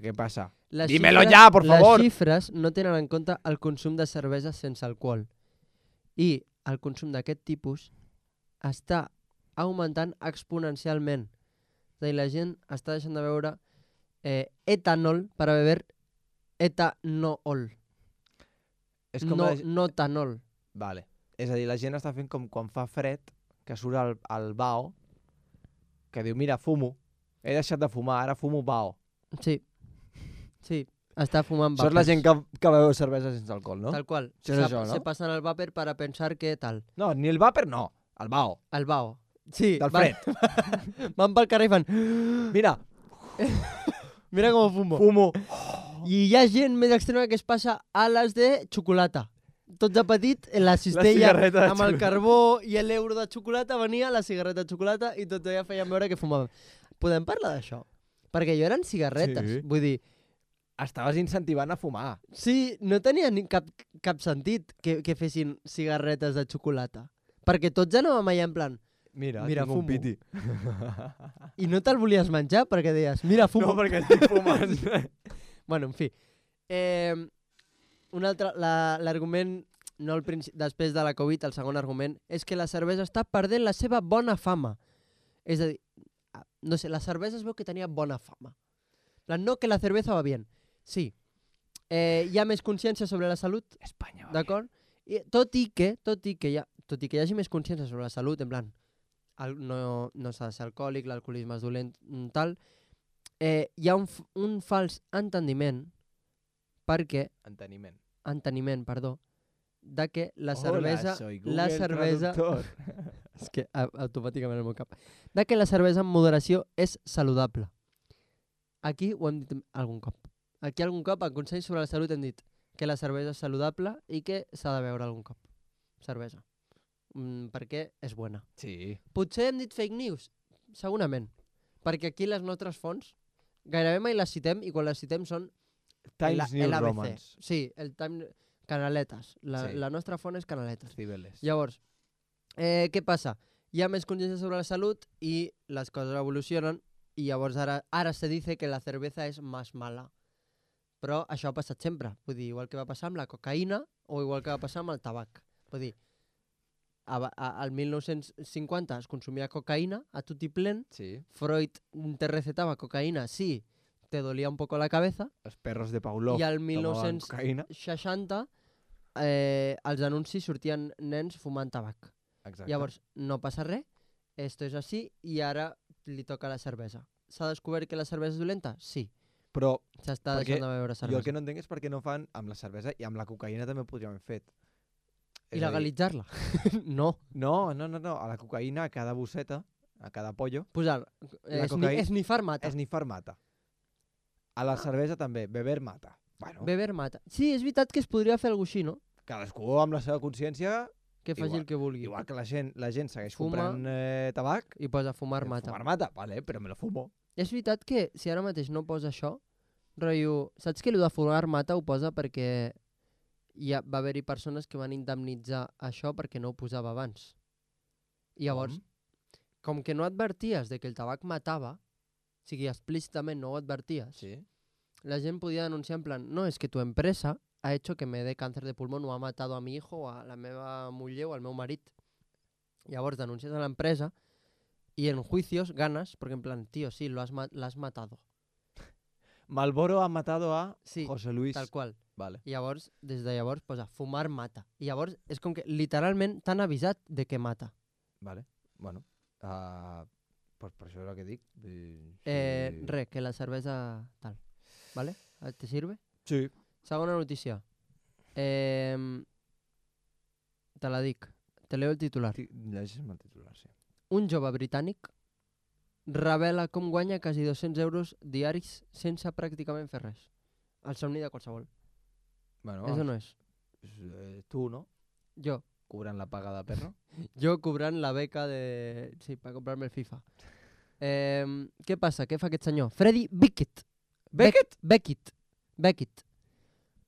Què passa? Dímelo ja, por favor! Les xifres no tenen en compte el consum de cervesa sense alcohol. I el consum d'aquest tipus està augmentant exponencialment. És a dir, la gent està deixant de beure etanol per a beber etanol. No etanol. Vale. És a dir, la gent està fent com quan fa fred, que surt el bao, que diu, mira, fumo. He deixat de fumar, ara fumo bao. Sí. Està fumant vapers. Això és la gent que beu cervesa sense alcohol, no? Tal qual. Això, no? Se passen el vàper per a pensar que tal. No, ni el vàper no, el bao. El bao. Sí. Del fred. Van pel carrer i fan... Mira. Mira com fumo. I hi ha gent més extrema que es passa ales de xocolata. Tots de petit, la cistella amb el carbó i l'euro de xocolata venia la cigarreta de xocolata i tot ja feien veure que fumaven. Podem parlar d'això? Perquè jo eren cigarretes. Sí. Vull dir... Estaves incentivant a fumar. Sí, no tenia cap sentit que fessin cigarretes de xocolata. Perquè tots anàvem allà en plan... Mira fumo. Un piti. I no te'l volies menjar perquè deies, mira, fumo. No, perquè estic fumant. Bueno, en fi. Un altre, l'argument, després de la Covid, el segon argument, és que la cervesa està perdent la seva bona fama. És a dir, no sé, la cervesa es veu que tenia bona fama. No que la cerveza va bien. Sí. Hi ha més consciència sobre la salut. Espanya, d'acord? Tot i que hi hagi més consciència sobre la salut, en plan, no s'ha de ser alcohòlic, l'alcoholisme és dolent, tal, hi ha un fals enteniment perquè... Enteniment, perdó, de que la cervesa... Hola, soy Google Traductor. És que automàticament el meu cap. De que la cervesa en moderació és saludable. Aquí ho hem dit algun cop. Aquí algun cop, en Consell sobre la Salut, hem dit que la cervesa és saludable i que s'ha de beure algun cop. Cervesa. Perquè és bona. Sí. Potser hem dit fake news? Segurament. Perquè aquí les nostres fonts gairebé mai les citem i quan les citem són Times New Romans. Sí, Canaletes. Sí. La nostra font és Canaletes. Cibeles. Llavors, què passa? Hi ha més consciència sobre la salut i les coses evolucionen i llavors ara se dice que la cerveza és més mala. Però això ha passat sempre. Vull dir, igual que va passar amb la cocaïna o igual que va passar amb el tabac. Vull dir, al 1950 es consumia cocaïna a tot i plen. Sí. Freud te recetava cocaïna si te dolia un poco la cabeza. Els perros de Pavlov I al tomaven cocaïna. 1960 als anuncis sortien nens fumant tabac. Exacte. Llavors, no passa res, esto és així i ara li toca la cervesa. S'ha descobert que la cervesa és dolenta? Sí. Però S'està deixant de beure cervesa. jo el que no entenc és per què no fan amb la cervesa i amb la cocaïna també ho podríem haver fet. I legalitzar-la? No. No. A la cocaïna, a cada bosseta, a cada pollo, Posar, esnifar mata. esnifar mata. A la cervesa també, beber mata. Bueno, Beber mata. Sí, és veritat que es podria fer alguna cosa així, no? cadascú amb la seva consciència, Que faci Igual- el que vulgui. igual que la gent segueix Fuma. comprant tabac, I posa fumar mata. fumar mata, vale, però me lo fumo. És veritat que si ara mateix no posa això, rotllo, saps que el de fumar mata ho posa perquè va haver-hi persones que van indemnitzar això perquè no ho posava abans. I llavors, com que no adverties de que el tabac matava, o sigui, explícitament no ho adverties, Sí. la gent podia denunciar en plan, no, es que tu empresa ha hecho que me dé cáncer de pulmón o ha matado a mi hijo o a la meva muller o al meu marit. Llavors denuncies a l'empresa y en juicios ganas, porque en plan, tío, sí, la has matado. Malboro ha matado a Sí, José Luis. tal qual. Vale. I llavors, des de llavors, posa fumar mata. I llavors és com que literalment t'han avisat de que mata. Vale. Bueno. Pues per això és el que dic. Res, que la cervesa tal. ¿Vale? ¿Te sirve? Sí. Segona notícia. Te la dic. Te leo el titular. Llegeix-me el titular, sí. Un jove britànic revela com guanya quasi 200 euros diaris sense pràcticament fer res. El somni de qualsevol. Bueno, És o no és? tu, no? Jo. Cobrant la paga de perro. Jo cobrant la beca de... Sí, per comprar-me el FIFA. Què passa? Què fa aquest senyor? Freddy Beckett. Beckett.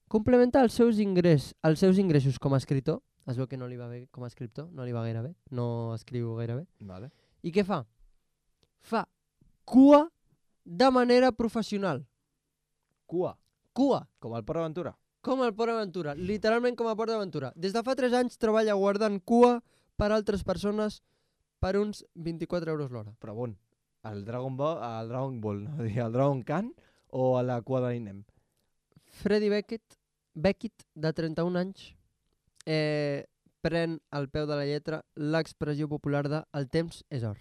Complementa els seus ingressos com a escriptor. Es veu que no li va bé com a escriptor, no li va gaire bé, no escriu gaire bé. Vale. I què fa? Fa cua de manera professional. Cua. Cua. Com el Port Aventura. Com el Port Aventura, literalment com a Port Aventura. Des de fa 3 anys treballa guardant cua per altres persones per uns 24 euros l'hora. Però bon, el Dragon Ball, no? El Dragon Khan o a la cua de l'Inem? Freddy Beckett, de 31 anys, pren al peu de la lletra l'expressió popular de "el temps és or".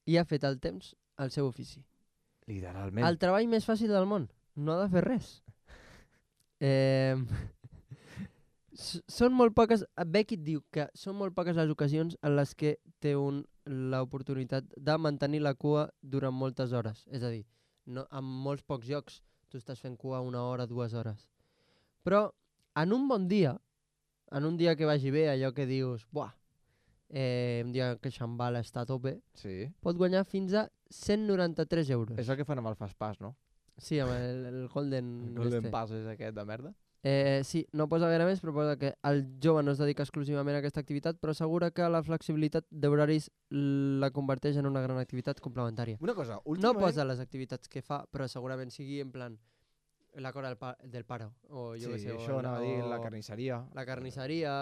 I ha fet el temps el seu ofici. Literalment. El treball més fàcil del món. No ha de fer res. Són molt poques... Beckett diu que són molt poques les ocasions en les que té l'oportunitat de mantenir la cua durant moltes hores. És a dir, no, en molts pocs llocs tu estàs fent cua 1 hora, 2 hores. Però en un bon dia, en un dia que vagi bé, allò que dius, buah, un dia que Xambala està a tope, Sí. pot guanyar fins a 193 euros. És el que fan amb el Fast Pass, no? Sí, amb el Golden... El Golden Pass és aquest de merda. Sí, no posa gaire més, però posa que el jove no es dedica exclusivament a aquesta activitat, però assegura que la flexibilitat d'horaris la converteix en una gran activitat complementària. Una cosa, No últimament... posa les activitats que fa, però segurament sigui en plan la cora del paro. O jo Sí, què sé, això anava a dir, la o carnisseria, la carnisseria,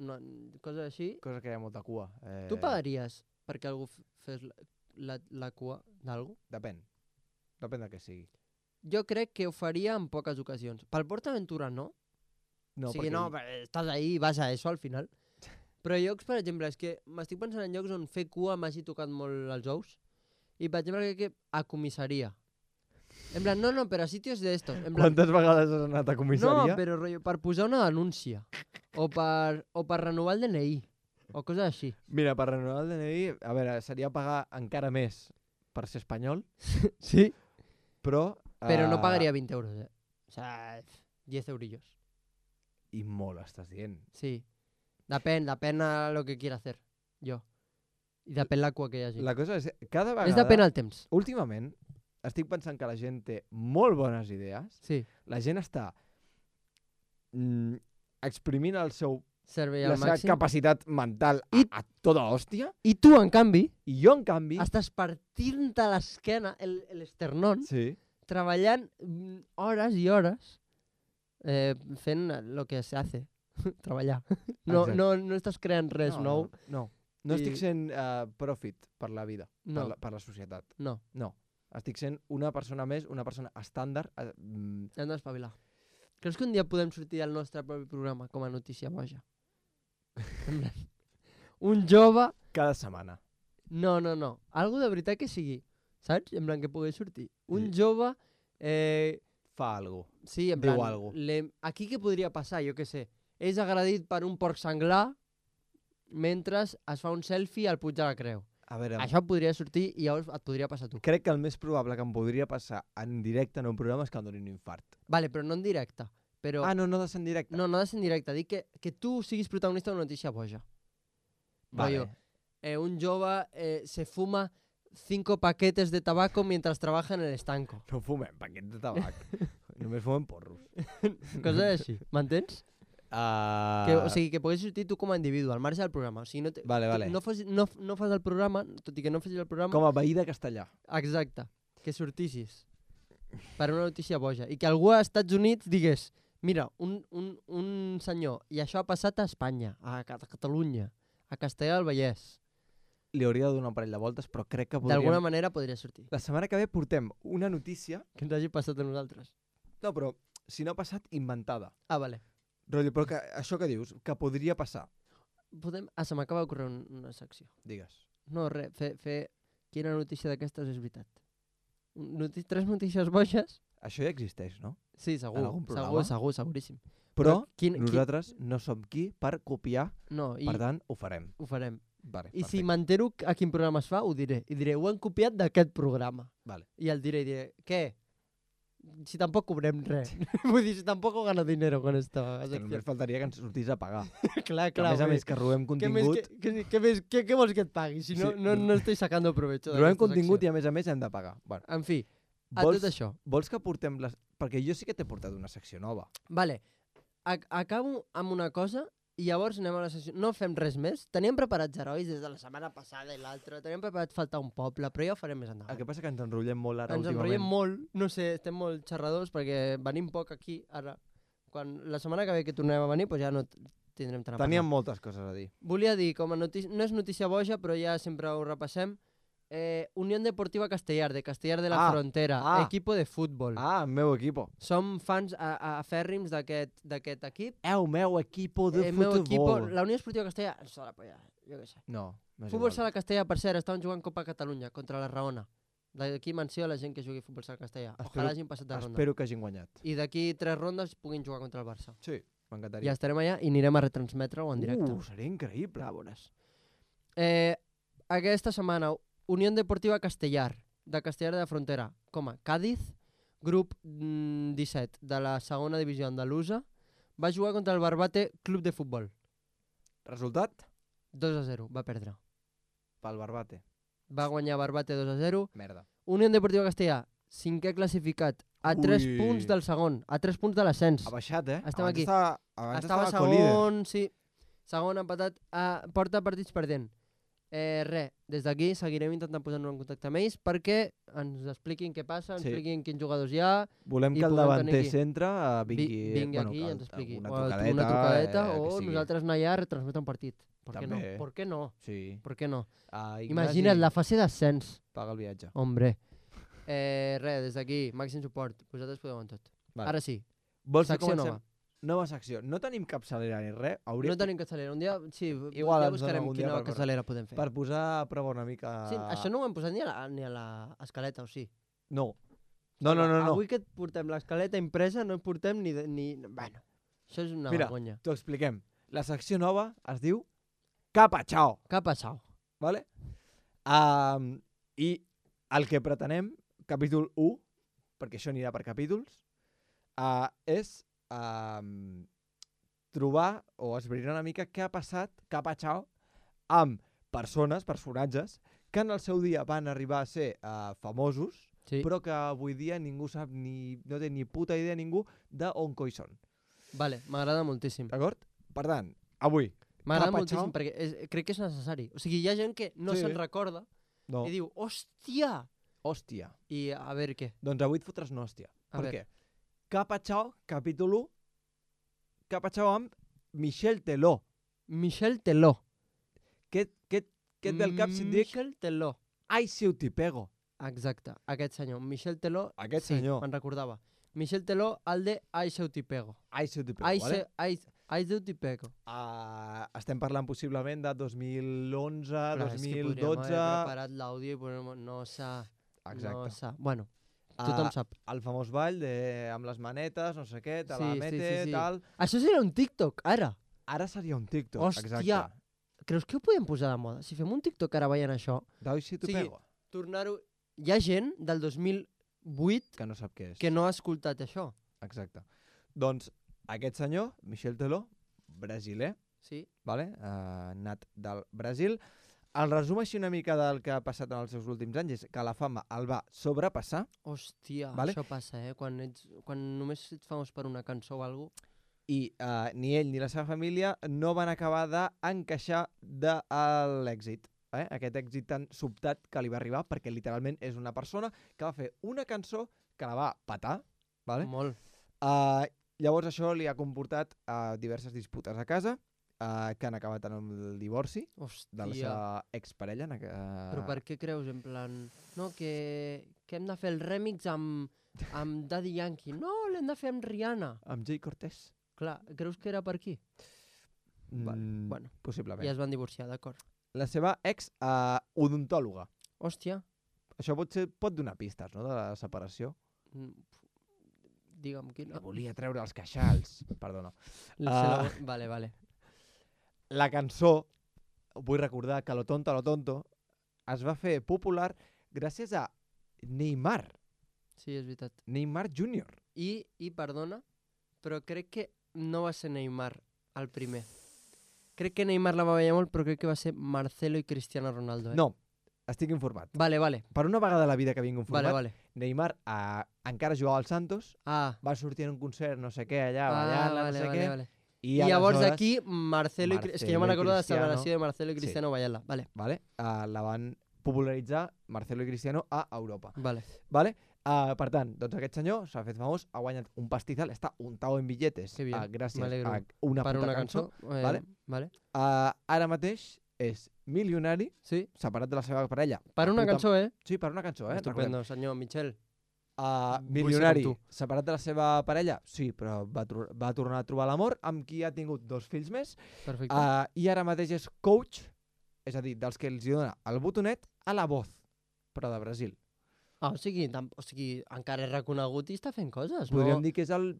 no, coses així. cosa que hi ha molta cua. Tu pagaries perquè algú fes la cua d'algú? Depèn. Depèn de què sigui. Jo crec que ho faria en poques ocasions. Pel PortAventura no. No, O sigui, no, estàs ahí i vas a eso al final. Però llocs, per exemple, és que m'estic pensant en llocs on fer cua m'hagi tocat molt els ous. I, per exemple, crec que a comissaria. En plan, no, però a sitios de esto. En plan, Quantes vegades has anat a comissaria? no, però rotllo, per posar una denúncia. O per renovar el DNI. O coses així. Mira, per renovar el DNI, a veure, seria pagar encara més per ser espanyol, Sí. però... Però no pagaria 20 euros, O sea, 10 eurillos. I molt, estàs dient. Sí. Depèn a lo que quiera hacer. Jo. I depèn la cua que hi hagi. La cosa és, cada vegada... És depèn al temps. Últimament, estic pensant que la gent té molt bones idees. Sí. La gent està exprimint la Servei al seva màxim. capacitat mental a tota hòstia, I tu, en canvi, i jo, en canvi... estàs partint-te l'esquena, l'esternón, Sí. treballant hores i hores fent lo que se hace, treballar. No estàs creant res nou. No estic sent profit per la vida, No. per la societat. No, No. Estic sent una persona més, una persona estàndard. hem d'espavilar. Creus que un dia podem sortir del nostre propi programa com a notícia boja? Un jove... Cada setmana. No. Algo de veritat que sigui. Saps? En plan que pugui sortir. Un jove... Fa alguna cosa. Sí, en Diu plan... algo. Aquí què podria passar? Jo què sé. És agredit per un porc senglar mentre es fa un selfie al Puig de la Creu. A veure, Això podria sortir i llavors et podria passar a tu. crec que el més probable que em podria passar en directe en un programa és que em donin un infart. Vale, però no en directe. Però... No ha de ser en directe? No ha de ser en directe. Dic que tu siguis protagonista d'una notícia boja. Vale. Rollo, un jove se fuma 5 paquetes de tabaco mientras trabaja en el estanco. No fumem paquets de tabac. Només fumem porros. Coses així. M'entens? O sigui, que poguessis sortir tu com a individu, al marge del programa. O sigui, Vale. no fas el programa, tot i que no facis el programa... Com a veí de Castellà. Exacte. Que sortissis per una notícia boja. I que algú als Estats Units digués mira, un senyor, i això ha passat a Espanya, a Catalunya, a Castellà del Vallès. Li hauria de donar un parell de voltes, però crec que podríem... D'alguna manera podria sortir. La setmana que ve portem una notícia... Que ens hagi passat a nosaltres. No, però si no ha passat, inventada. Vale. Rotllo, però això que dius, que podria passar. Se m'acaba d'ocórrer una secció. Digues. No, res, fer quina notícia d'aquestes és veritat. 3 notícies boges. Això ja existeix, no? Sí, segur. En algun programa? Seguríssim. Però nosaltres no som qui per copiar, per tant, ho farem. Ho farem. Vale, I si m'entero a quin programa es fa, ho diré. I diré, ho han copiat d'aquest programa. Vale. I el diré, què? Si tampoc cobrem res. Vull dir, si tampoc gano dinero con esta secció. Només faltaria que ens sortís a pagar. Clar. Que a més que robem contingut... Què vols que et pagui? Si no estic sacando provecho. Robem contingut i a més hem de pagar. Bueno, en fi, tot això. Vols que portem les... Perquè jo sí que t'he portat una secció nova. Vale, acabo amb una cosa i llavors anem a la secció. No fem res més. Teníem preparats herois des de la setmana passada i l'altra. Teníem preparat faltar un poble, però ja ho farem més endavant. El que passa que ens enrotllem molt ara últimament. Ens enrotllem molt, no sé, estem molt xerradors perquè venim poc aquí ara. La setmana que ve que tornem a venir, doncs ja no tindrem tant a parlar. Teníem moltes coses a dir. Volia dir, com a notícia, no és notícia boja, però ja sempre ho repassem, Unión Deportiva Castellar, de Castellar de la Frontera, equipo de futbol. El meu equipo. Som fans afèrrims d'aquest equip. El meu equipo de futbol. La Unió Esportiva Castellar, sola polla, jo què sé. No, Futbol Sala Castellar, per cert, estaven jugant Copa Catalunya contra la Raona. D'aquí menció a la gent que jugui Futbol Sala Castellar. Ojalà hagin passat de ronda. Espero que hagin guanyat. I d'aquí 3 rondes puguin jugar contra el Barça. Sí, m'encantaria. Ja estarem allà i anirem a retransmetre-ho en directe. Seria increïble. Ja veuràs. Aquesta setmana, Unión Deportiva Castellar, de Castellar de la Frontera, com a Cádiz, grup 17 de la segona divisió andalusa, va jugar contra el Barbate Club de Futbol. Resultat? 2-0, va perdre. Pel Barbate. Va guanyar Barbate 2-0. Merda. Unión Deportiva Castellar, 5è classificat, a 3 punts del segon, a 3 punts de l'ascens. Ha baixat, Estem aquí. Abans estava segon, sí. Segon empatat, porta partits perdent. Des d'aquí seguirem intentant posar-nos en contacte amb ells perquè ens expliquin què passa, ens expliquin quins jugadors hi ha. Volem que el davanter centre vingui aquí i ens expliqui. Una trucadeta o nosaltres anar allà a retransmetre un partit. Per què no? Sí. Per què no? Imagina't, la fase d'ascens. Paga el viatge. Hombre. Des d'aquí, màxim suport. Vosaltres podeu amb tot. Ara sí. Secció nova. Nova secció. No tenim capçalera ni res. No tenim capçalera. Un dia, sí, igual ja buscarem quina capçalera podem fer. Per posar a prova una mica... Sí, això no ho hem posat ni a l'escaleta, o sí? No. Avui que portem l'escaleta impresa no portem ni... Bueno, això és una vergonya. Mira, t'ho expliquem. La secció nova es diu Capa Chao. Capa Chao. Vale? I el que pretenem, capítol 1, perquè això anirà per capítols, és trobar o esbrinar una mica què ha passat, cap a Chao, amb personatges, que en el seu dia van arribar a ser famosos, però que avui dia ningú sap, no té ni puta idea ningú d'on coi són. Vale, m'agrada moltíssim. D'acord? Per tant, avui... M'agrada Capatxau. moltíssim perquè crec que és necessari. O sigui, hi ha gent que no Sí. se'n recorda No. i diu, hòstia! Hòstia. I a veure què. Doncs avui et fotràs una hòstia. A Per veure. què? Capatxau, capítol 1. Capatxau amb Michel Teló. Michel Teló. Què et ve al cap si et dic Michel Teló. Ai, si ho t'hi pego? Exacte, aquest senyor. Michel Teló. Aquest sí, senyor. me'n recordava. Michel Teló, el de Ai, se t'hi pego. Ai, si ho t'hi pego, Ai, vale? ai, se t'hi pego. Estem parlant possiblement de 2011, Clar, és que podríem 2012... haver preparat l'àudio i no s'ha... Exacte. No s'ha... Bueno, tothom sap. El famós ball amb les manetes, no sé què, te la Sí, mete, sí. tal... Això seria un TikTok, ara. Ara seria un TikTok, Hòstia. exacte. Creus que ho podem posar de moda? Si fem un TikTok ara veient això, Ai, si t'ho Sí. pego? tornar-ho... Hi ha gent del 2008 Que no sap què és. que no ha escoltat això. Exacte. Doncs aquest senyor, Michel Teló, brasiler, Sí? vale? Nat del Brasil. El resum així una mica del que ha passat en els seus últims anys és que la fama el va sobrepassar Hòstia, Vale. això passa, Quan només ets famós per una cançó o alguna cosa... i ni ell ni la seva família no van acabar d'encaixar de l'èxit. Aquest èxit tan sobtat que li va arribar perquè literalment és una persona que va fer una cançó que la va petar, vale? Molt. Llavors això li ha comportat diverses disputes a casa que han acabat en el divorci de la Hòstia. seva exparella. Però per què creus, en plan... No, que hem de fer el remix amb Daddy Yankee. No, l'hem de fer amb Rihanna. Amb Jay Cortez? Clar, creus que era per aquí? Bueno, Possiblement. I es van divorciar, d'acord. La seva ex-odontòloga. Hòstia, Això pot donar pistes, no?, de la separació. digue'm quina. Que volia treure els queixals. Perdona. Vale. La cançó, vull recordar que Lo Tonto, es va fer popular gràcies a Neymar. Sí, és veritat. Neymar Jr. I perdona, però crec que no va ser Neymar el primer. Crec que Neymar la va veure molt, però crec que va ser Marcelo i Cristiano Ronaldo. No, estic informat. Vale. Per una vegada a la vida que vinc informat, Vale. Neymar encara jugava al Santos, Ah, va sortir en un concert, no sé què, allà, ballant, vale, no sé què, vale. i I llavors aleshores, d'aquí Marcelo i... És que jo me Marcelo i recordo de la Cristiano. celebració de Marcelo i Sí. Cristiano ballant-la. Vale. la van popularitzar Marcelo i Cristiano a Europa. Vale. Per tant, doncs aquest senyor s'ha fet famós, ha guanyat un pastizal, està untado en billetes Que bien, gràcies m'alegro. a una Per puta una cançó. cançó. Vale. Vale. Ara mateix és milionari, Sí. separat de la seva parella. Per una cançó, Sí, per una cançó, Estupendo, senyor Michel. milionari, ser com tu. separat de la seva parella, sí, però va tornar a trobar l'amor, amb qui ha tingut 2 fills més, Perfecte. i ara mateix és coach, és a dir, dels que els hi dona el botonet a La Voz, però de Brasil. O sigui, encara és reconegut i està fent coses, Podríem no? dir que és el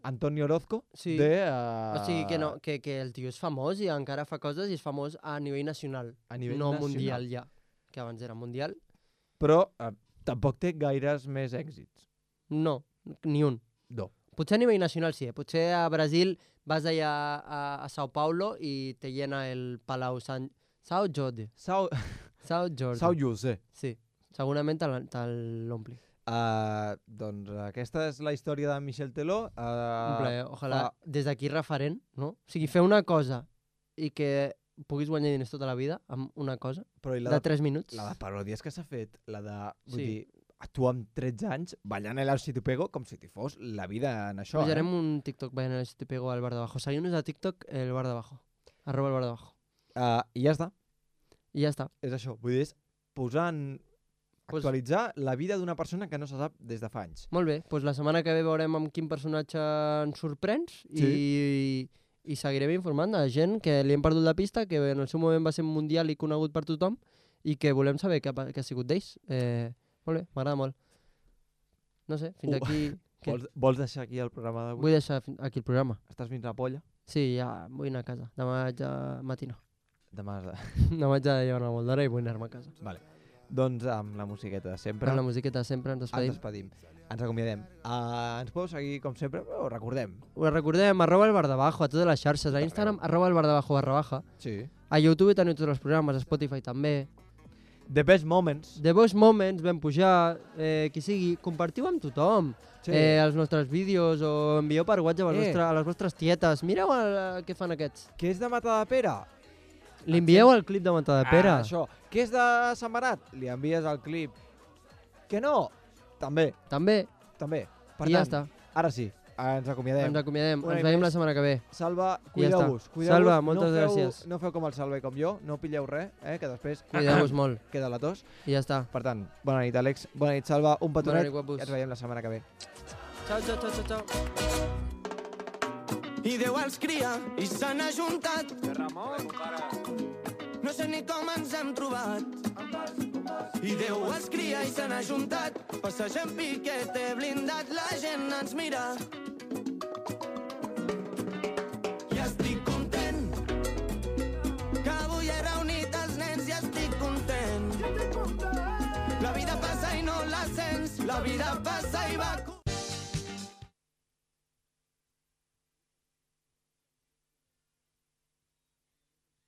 Antonio Orozco Sí. de... O sigui, que el tio és famós i encara fa coses i és famós a nivell nacional, a nivell no nacional. mundial ja. Que abans era mundial. Però tampoc té gaires més èxits. No, ni un. No. Potser a nivell nacional sí, Potser a Brasil vas allà a Sao Paulo i te llena el Palau Sao Jordi. Sao Jordi. Sao José. Sí, segurament te l'ompli. Doncs aquesta és la història de Michel Teló. Un plaer, ojalà des d'aquí referent, no? O sigui, fer una cosa i que puguis guanyar diners tota la vida amb una cosa, Però i de 3 minuts. la de paròdies que s'ha fet, la de... Vull Sí. dir, tu amb 13 anys ballant el Si t'ho pego com si t'hi fos la vida en això. Pujarem un TikTok veient el Si te pego al bar de abajo. Seguim-nos a TikTok, el bar de abajo. @ el bar de abajo. I ja està. I ja està. És això. Vull dir, és posar en... Pues- actualitzar la vida d'una persona que no se sap des de fa anys. Molt bé, doncs la setmana que ve veurem amb quin personatge ens sorprens i seguirem informant de gent que li hem perdut la pista, que en el seu moment va ser mundial i conegut per tothom i que volem saber què ha sigut d'ells. Molt bé, m'agrada molt. No sé, fins aquí... Què? Vols deixar aquí el programa d'avui? Vull deixar aquí el programa. Estàs fins la polla? Sí, ja vull anar a casa. Demà haig de matinar. Demà has de... Demà haig de llevar-me molt d'hora i vull anar-me a casa. Vale. Doncs amb la musiqueta de sempre Amb la musiqueta sempre ens ens despedim. ens acomiadem. Ens podeu seguir com sempre, però recordem. Us recordem, @ el bar de abajo, a totes les xarxes, a Instagram, @ el bar de abajo _, Sí. a YouTube teniu tots els programes, a Spotify també. The best moments. The best moments, vam pujar, qui sigui, compartiu amb tothom. Sí. Els nostres vídeos o envieu per WhatsApp a les vostres tietes. Mireu què fan aquests. Què és de Matadepera? Li envieu el clip de Matadepera. Això. Què és de Sant Benet? Li envies el clip. Que no? També. També. Per I ja tant, està. ara sí, ens acomiadem. Ens acomiadem. Ens veiem la setmana que ve. Salva, I ja cuideu-vos. Salva, moltes gràcies. No feu com el Salva i com jo, no pilleu res, que després Cuideu-vos molt. queda la tos. I ja està. Per tant, bona nit, Àlex. Bona nit, Salva. Un petonet. Bona nit, guapos. I ens veiem la setmana que ve. Ciao. I Déu els cria i se n'ha juntat. No sé ni com ens hem trobat. I Déu els cria i se n'ha juntat. Passegem piquete blindat, la gent ens mira. I estic content que avui he reunit els nens i estic content. La vida passa i no la sents. La vida passa i va...